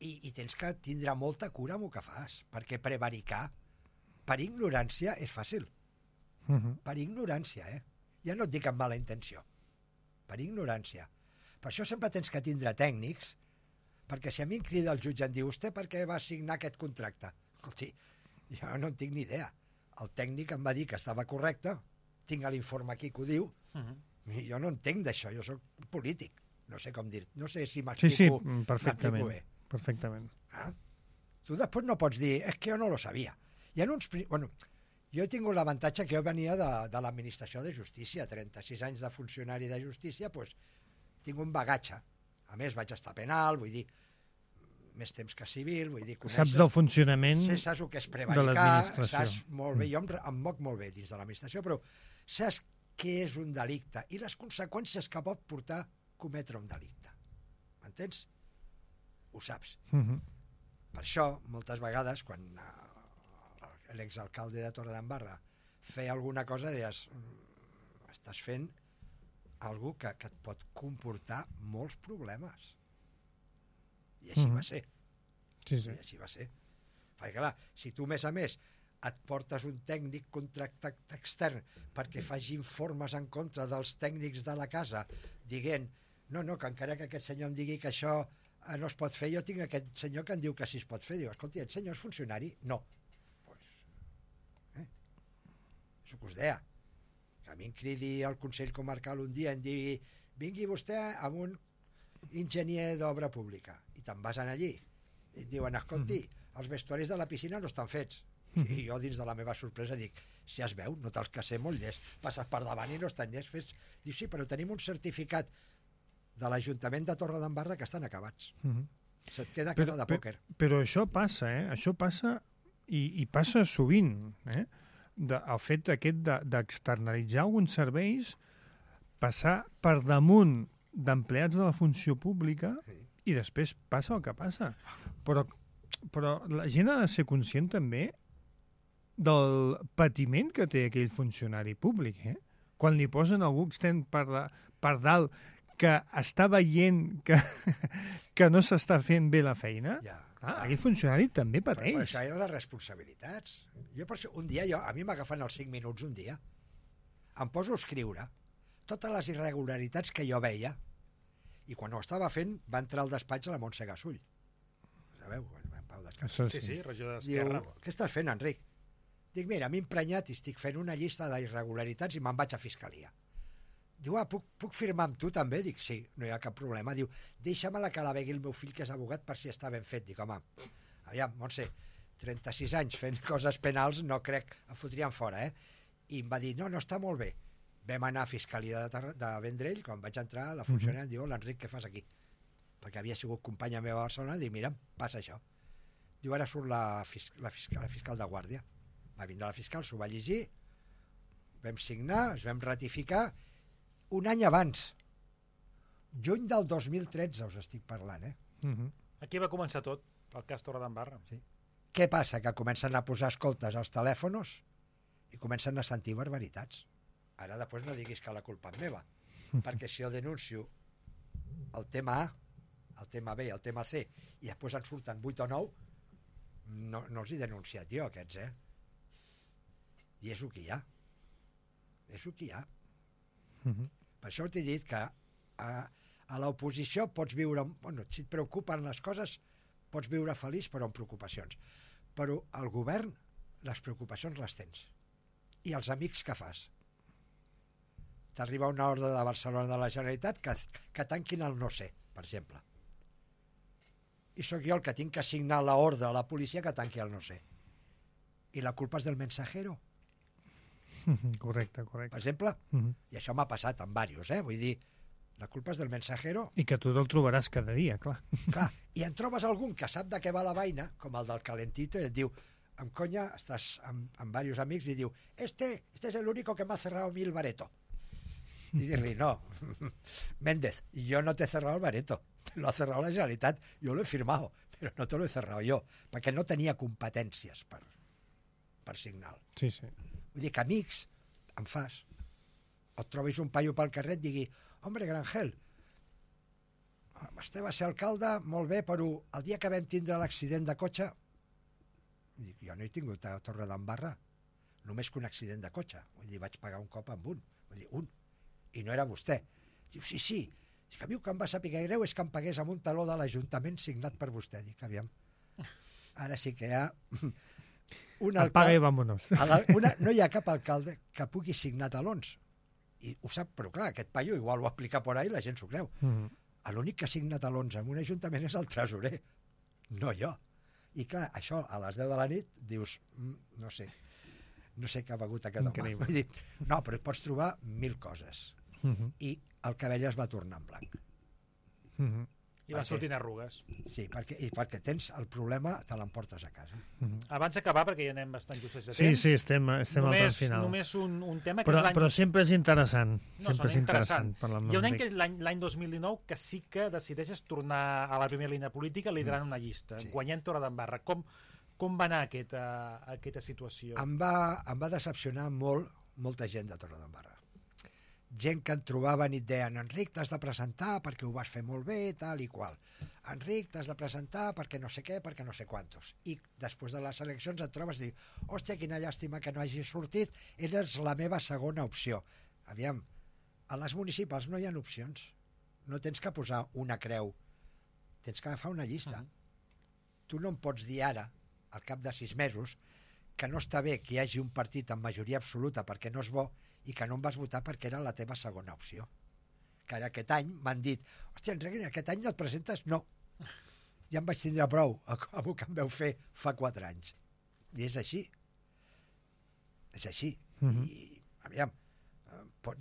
I tens que tindre molta cura amb el que fas, perquè prevaricar per ignorància és fàcil. Per ignorància, Ja no et dic amb mala intenció. Per ignorància. Per això sempre tens que tindre tècnics, perquè si a mi em crida el jutge i em diu vostè per què va signar aquest contracte? Escolti, jo no en tinc ni idea. El tècnic em va dir que estava correcte, tinc l'informe aquí que ho diu, i jo no entenc d'això, jo sóc polític. No sé com dir, no sé si m'explico perfectament. bé. Perfectament. Tu després no pots dir, és que jo no lo sabia. Bueno, jo he tingut l'avantatge que jo venia de l'administració de justícia, 36 anys de funcionari de justícia, doncs tinc un bagatge. A més, vaig estar penal, vull dir, més temps que civil, vull dir... Saps del funcionament saps el que és de prevaricar, l'administració. saps molt bé, jo em moc molt bé dins de l'administració, però saps què és un delicte i les conseqüències que pot portar cometre un delicte. M'entens? Ho saps. Per això, moltes vegades, quan l'exalcalde de Torredembarra feia alguna cosa, deies, estàs fent algú que et pot comportar molts problemes. I així va ser. Sí. I així va ser. Perquè clar, si tu, a més, et portes un tècnic contractat extern perquè faci informes en contra dels tècnics de la casa, dient, no, que encara que aquest senyor em digui que això no es pot fer, jo tinc aquest senyor que em diu que sí es pot fer. Diu, escolti, el senyor és funcionari? No. Això que us deia. Que a mi em cridi al Consell Comarcal un dia i em digui, vingui vostè amb un enginyer d'obra pública, i te'n vas allí i et diuen, escolti, els vestuaris de la piscina no estan fets, i jo dins de la meva sorpresa dic, si es veu, no te'ls que ser molt llest, passes per davant i no estan llest fets. Diu, sí, però tenim un certificat de l'Ajuntament de Torredembarra que estan acabats. Se't queda cara de pòquer. Però això passa, això passa i passa sovint, el fet aquest d'externalitzar alguns serveis, passar per damunt d'empleats de la funció pública i després passa el que passa. Però la gent ha de ser conscient també del patiment que té aquell funcionari públic. Quan li posen algú extern per dalt que està veient que no s'està fent bé la feina, aquell funcionari també pateix. Però això eren les responsabilitats. Jo per això, un dia, a mi m'agafen els 5 minuts un dia, em poso a escriure totes les irregularitats que jo veia, i quan ho estava fent va entrar al despatx a la Montse Gasull. Sabeu? En Pau Descans. Sí, regidor d'Esquerra. Diu, què estàs fent, Enric? Dic, mira, m'he emprenyat i estic fent una llista d'irregularitats i me'n vaig a Fiscalia. Diu, puc firmar amb tu també? Dic, sí, no hi ha cap problema. Diu, deixa-me-la que la vegui el meu fill, que és abogat, per si està ben fet. Dic, home, aviam, Montse, 36 anys fent coses penals, no crec, em fotrien fora, I em va dir, no, està molt bé. Vam anar a Fiscalia de Vendrell, quan vaig entrar, la funcionària em diu, l'Enric, què fas aquí? Perquè havia sigut companya meva a Barcelona, i dic, mira, passa això. Diu, ara surt la fiscal de guàrdia. Va vindre la fiscal, s'ho va llegir, vam signar, es vam ratificar, un any abans, juny del 2013 us estic parlant, Aquí va començar tot, el cas Torredembarra. Sí. Què passa? Que comencen a posar escoltes als telèfons i comencen a sentir barbaritats. Ara després no diguis que la culpa és meva, perquè si jo denuncio el tema A, el tema B, el tema C, i després en surten 8 o 9, no els he denunciat jo, aquests, I és el que hi ha. És el que hi ha. Per això t'he dit que a l'oposició pots viure... Bueno, si et preocupen les coses, pots viure feliç, però amb preocupacions. Però al govern, les preocupacions les tens. I els amics que fas? T'arriba una ordre de Barcelona de la Generalitat que tanquin el no sé, per exemple. I sóc jo el que tinc que assignar l'ordre a la policia que tanqui el no sé. I la culpa és del mensajero. Correcte. Per exemple, i això m'ha passat amb diversos, vull dir, la culpa és del mensajero. I que tu te'l trobaràs cada dia, clar. Clar, i en trobes algun que sap de què va la vaina, com el del calentito, i et diu, amb conya, estàs amb diversos amics, i diu, este es el único que m'ha cerrado a mi el bareto. I dir-li, no, Méndez, yo no te he cerrado el bareto, lo ha cerrado la Generalitat, yo lo he firmado, pero no te lo he cerrado yo, perquè no tenia competències per signar. Sí. Vull dir que amics en fas. O et trobis un paio pel carrer i digui, hombre, Grangel, vostè va ser alcalde, molt bé, però el dia que vam tindre l'accident de cotxe, dic, jo no he tingut a Torredembarra, només que un accident de cotxe. Vull dir, vaig pagar un cop amb un. Vull dir, un. I no era vostè. Diu, sí. Dic, a mi el que em va saber greu és que em pagués amb un taló de l'Ajuntament signat per vostè. Dic, aviam, ara sí que hi ha... Apaga i vámonos. No hi ha cap alcalde que pugui signar talons. I ho sap, però clar, aquest paio igual ho aplica por ahí i la gent s'ho creu. L'únic que signa talons en un ajuntament és el tresorer, no jo. I clar, això a les 10 de la nit dius, no sé què ha begut aquest home. Vull dir, no, però et pots trobar 1000 coses. I el cabell es va tornar en blanc. I van sortint arrugues. Sí, perquè tens el problema, te l'emportes a casa. Abans d'acabar, perquè ja anem bastant justos de temps. Sí, estem al tram final. Només un tema que però, és l'any... Però sempre és interessant. No, sempre és interessant. Hi ha un any que l'any 2019 que sí que decideixes tornar a la primera línia política liderant una llista, guanyant Torredembarra. Com va anar aquesta situació? Em va decepcionar molta gent de Torredembarra. Gent que en trobaven i et deien, Enric, t'has de presentar perquè ho vas fer molt bé, tal i qual. Enric, t'has de presentar perquè no sé què, perquè no sé quantos. I després de les eleccions et trobes i dius, hòstia, quina llàstima que no hagi sortit, eres la meva segona opció. Aviam, a les municipals no hi ha opcions. No tens que posar una creu. Tens que agafar una llista. Tu no em pots dir ara, al cap de 6 mesos, que no està bé que hi hagi un partit amb majoria absoluta perquè no és bo i que no em vas votar perquè era la teva segona opció. Que ara aquest any m'han dit, hòstia, Enric, aquest any no et presentes? No. Ja em vaig tindre prou amb el que em veu fer fa 4 anys. I és així. És així. I, aviam,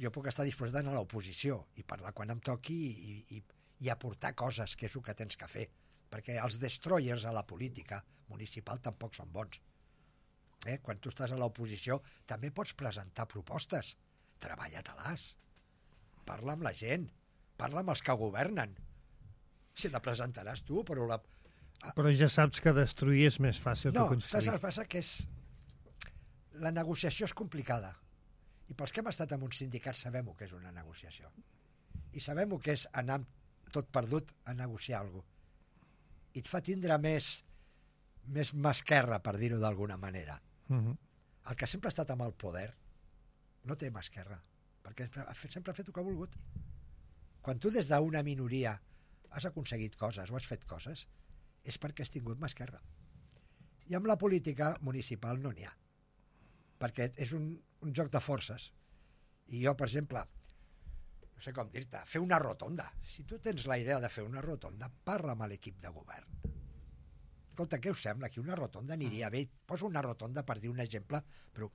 jo puc estar disposat d'anar a l'oposició i parlar quan em toqui i aportar coses, que és el que tens que fer. Perquè els destroyers a la política municipal tampoc són bons. Quan tu estàs a l'oposició també pots presentar propostes. Treballa-te-les. Parla amb la gent. Parla amb els que governen. Si la presentaràs tu, però la... Però ja saps que destruir és més fàcil que construir. No, el que passa que la negociació és complicada. I pels que hem estat en un sindicat sabem el que és una negociació. I sabem el que és anar tot perdut a negociar alguna cosa. I et fa tindre més masquerra, per dir-ho d'alguna manera. El que sempre ha estat amb el poder no té masquerra, perquè sempre ha fet el que ha volgut. Quan tu des d'una minoria has aconseguit coses o has fet coses, és perquè has tingut masquerra. I amb la política municipal no n'hi ha, perquè és un joc de forces. I jo, per exemple, no sé com dir-te, fer una rotonda. Si tu tens la idea de fer una rotonda, parla amb l'equip de govern. Escolta, què us sembla? Que una rotonda aniria bé. Poso una rotonda per dir un exemple, però...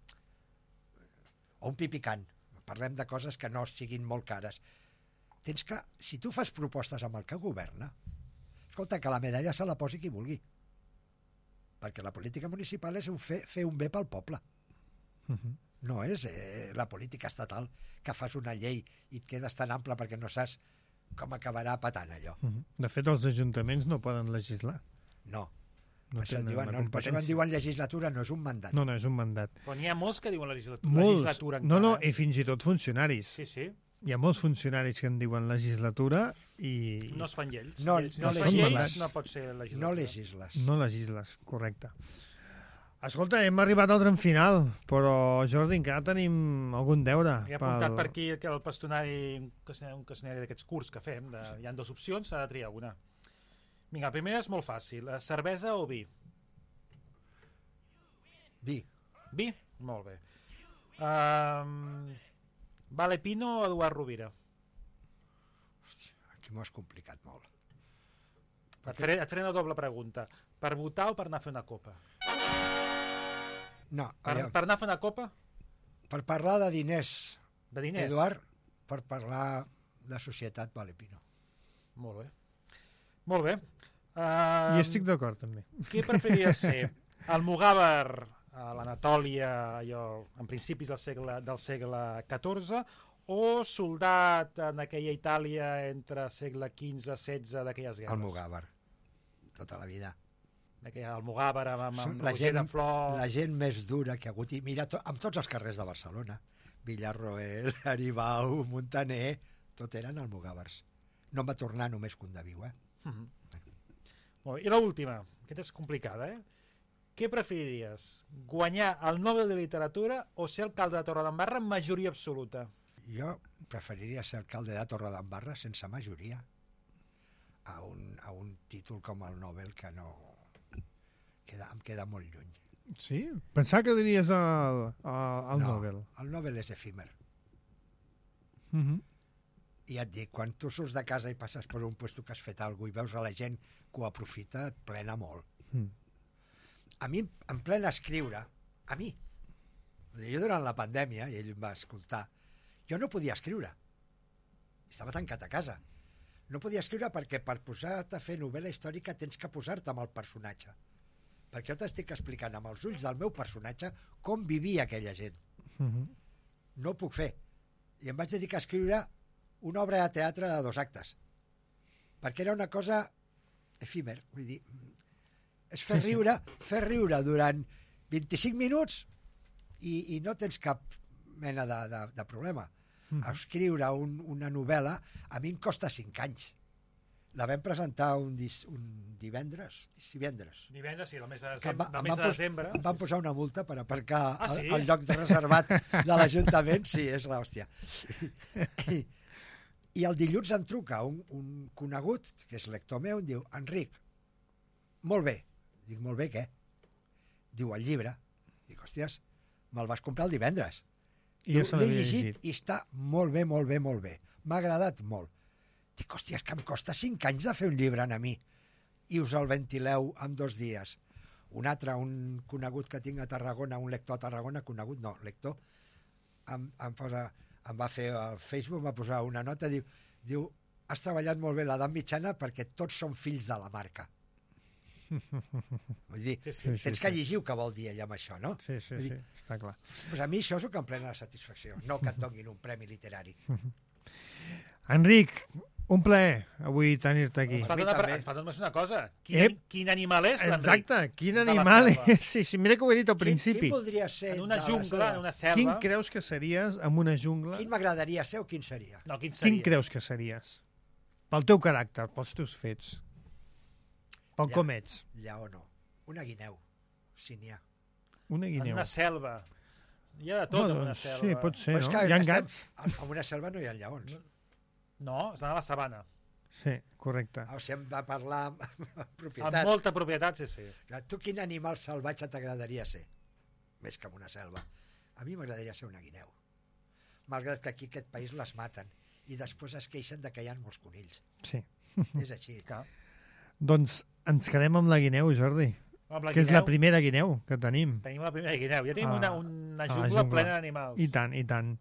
O un pipicant. parlem de coses que no siguin molt cares. Tens que, si tu fas propostes amb el que governa, escolta, que la medalla se la posi qui vulgui. Perquè la política municipal és fer un bé pel poble. No és la política estatal que fas una llei i et quedes tan ample perquè no saps com acabarà patant allò. De fet, els ajuntaments no poden legislar. No. No Per això tenen la per això quan competència. diuen legislatura no és un mandat. No, és un mandat. Però n'hi ha molts que diuen legislatura Molts. encara. No, i fins i tot funcionaris. Sí, sí. Hi ha molts funcionaris que en diuen legislatura i No es fan lleis. No es no fan legisles. lleis, no pot ser legislatura. No legisles. no legisles, correcte. Escolta, hem arribat al tram final, però, Jordi, encara tenim algun deure. He apuntat per aquí que el pastonari, un qüestionari d'aquests curts que fem, hi ha 2 opcions, s'ha de triar una. Vinga, la primera és molt fàcil. Cervesa o vi? Vi. Vi? Molt bé. Vale Pino o Eduard Rovira? Aquí m'ho has complicat molt. Et faré una doble pregunta. Per votar o per anar a fer una copa? No, Per anar a fer una copa? per parlar de diners, De diners? Eduard, per parlar de societat, vale, Pino. Molt bé. Molt bé. I estic d'acord, també. Què preferiries ser? Almogàver a l'Anatòlia, allò, en principis del segle XIV, o soldat en aquella Itàlia entre segle XV-XVI d'aquelles guerres? Almogàver, tota la vida. Aquella Almogàver amb Són Roger de Flor... la gent més dura que ha hagut. I mira, amb tots els carrers de Barcelona, Villarroel, Aribau, Montaner, tot eren almogàvers. No em va tornar només que un de viu, Molt bé. I l'última, aquesta és complicada, Què preferiries? Guanyar el Nobel de Literatura o ser alcalde de Torredembarra amb majoria absoluta? Jo preferiria ser alcalde de Torredembarra sense majoria a un títol com el Nobel que no... em queda molt lluny. Sí? Pensava que diries el Nobel. El Nobel és efímer. Mhm. I et dic, quan tu surts de casa i passes per un puesto que has fet alguna cosa i veus a la gent que ho aprofita, et plena molt. A mi em plena escriure, a mi. Jo durant la pandèmia, i ell em va escoltar, jo no podia escriure. Estava tancat a casa. No podia escriure perquè per posar-te a fer novel·la històrica tens que posar-te amb el personatge. Perquè jo t'estic explicant amb els ulls del meu personatge com vivia aquella gent. No ho puc fer. I em vaig dedicar a escriure una obra de teatre de 2 actes. Perquè era una cosa efímer. Vull dir, és fer riure durant 25 minuts i no tens cap mena de problema. Escriure una novel·la a mi em costa 5 anys. La vam presentar un divendres. Divendres, sí, el mes de Que desembre. Em van posar una multa per aparcar sí? al lloc reservat de l'Ajuntament. Sí, és l'hòstia. I el dilluns em truca un conegut, que és lector meu, em diu, Enric, molt bé. Dic, molt bé, què? Diu, el llibre. Dic, hòsties, me'l vas comprar el divendres. I ja se l'he l'havia llegit i està molt bé, molt bé, molt bé. M'ha agradat molt. Dic, hòstia, és que em costa 5 anys de fer un llibre a mi i us el ventileu en 2 dies. Un altre, un conegut que tinc a Tarragona, un lector a Tarragona, conegut no, lector, em va fer al Facebook, em va posar una nota, diu, has treballat molt bé l'edat mitjana perquè tots són fills de la marca. Vull dir, tens que llegir què vol dir ell amb això, no? Sí, està clar. Doncs a mi això és el que em plena la satisfacció, no que et donin un premi literari. Enric, un plaer avui tenir-te aquí. Ens fa només una cosa. Quin animal és l'Enric? Exacte, quin animal és. Sí, mira que ho he dit al principi. Quin voldria ser? En una jungla, en una selva. Quin creus que series en una jungla? Quin m'agradaria ser o quin seria? No, quin seria? Quin creus que series? Pel teu caràcter, pels teus fets. Pel com ets. Lleó no. Una guineu, si n'hi ha. Una guineu. En una selva. Hi ha de tot en una selva. Sí, pot ser, no? Hi ha gats. En una selva no hi ha lleons. No, estan a la sabana. Sí, correcte. O sigui, hem de parlar amb propietat. Amb molta propietat, sí. Tu quin animal salvatge t'agradaria ser? Més que en una selva. A mi m'agradaria ser una guineu. Malgrat que aquí aquest país les maten i després es queixen de que hi ha molts conills. Sí. És així. Doncs ens quedem amb la guineu, Jordi. Que és la primera guineu que tenim. Tenim la primera guineu. Ja tenim una jungla plena d'animals. I tant, i tant.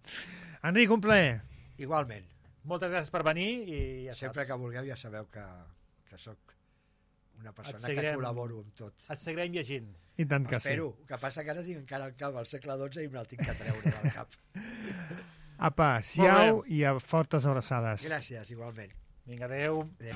Enric, un plaer. Igualment. Moltes gràcies per venir i ja Sempre saps. que vulgueu ja sabeu que sóc una persona Et seguirem. que col·laboro amb tot. Et seguirem llegint. I tant que sí. Espero. El que passa que ara tinc encara el cap al segle XII i me'l tinc que treure del cap. Apa, siau i a fortes abraçades. Gràcies, igualment. Vinga, adeu. Adéu.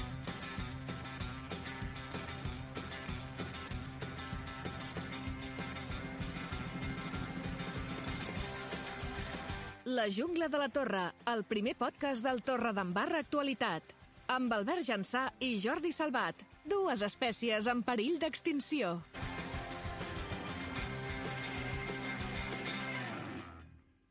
La jungla de la Torre, el primer podcast del Torredembarra Actualitat. Amb Albert Jansà i Jordi Salvat, dues espècies en perill d'extinció.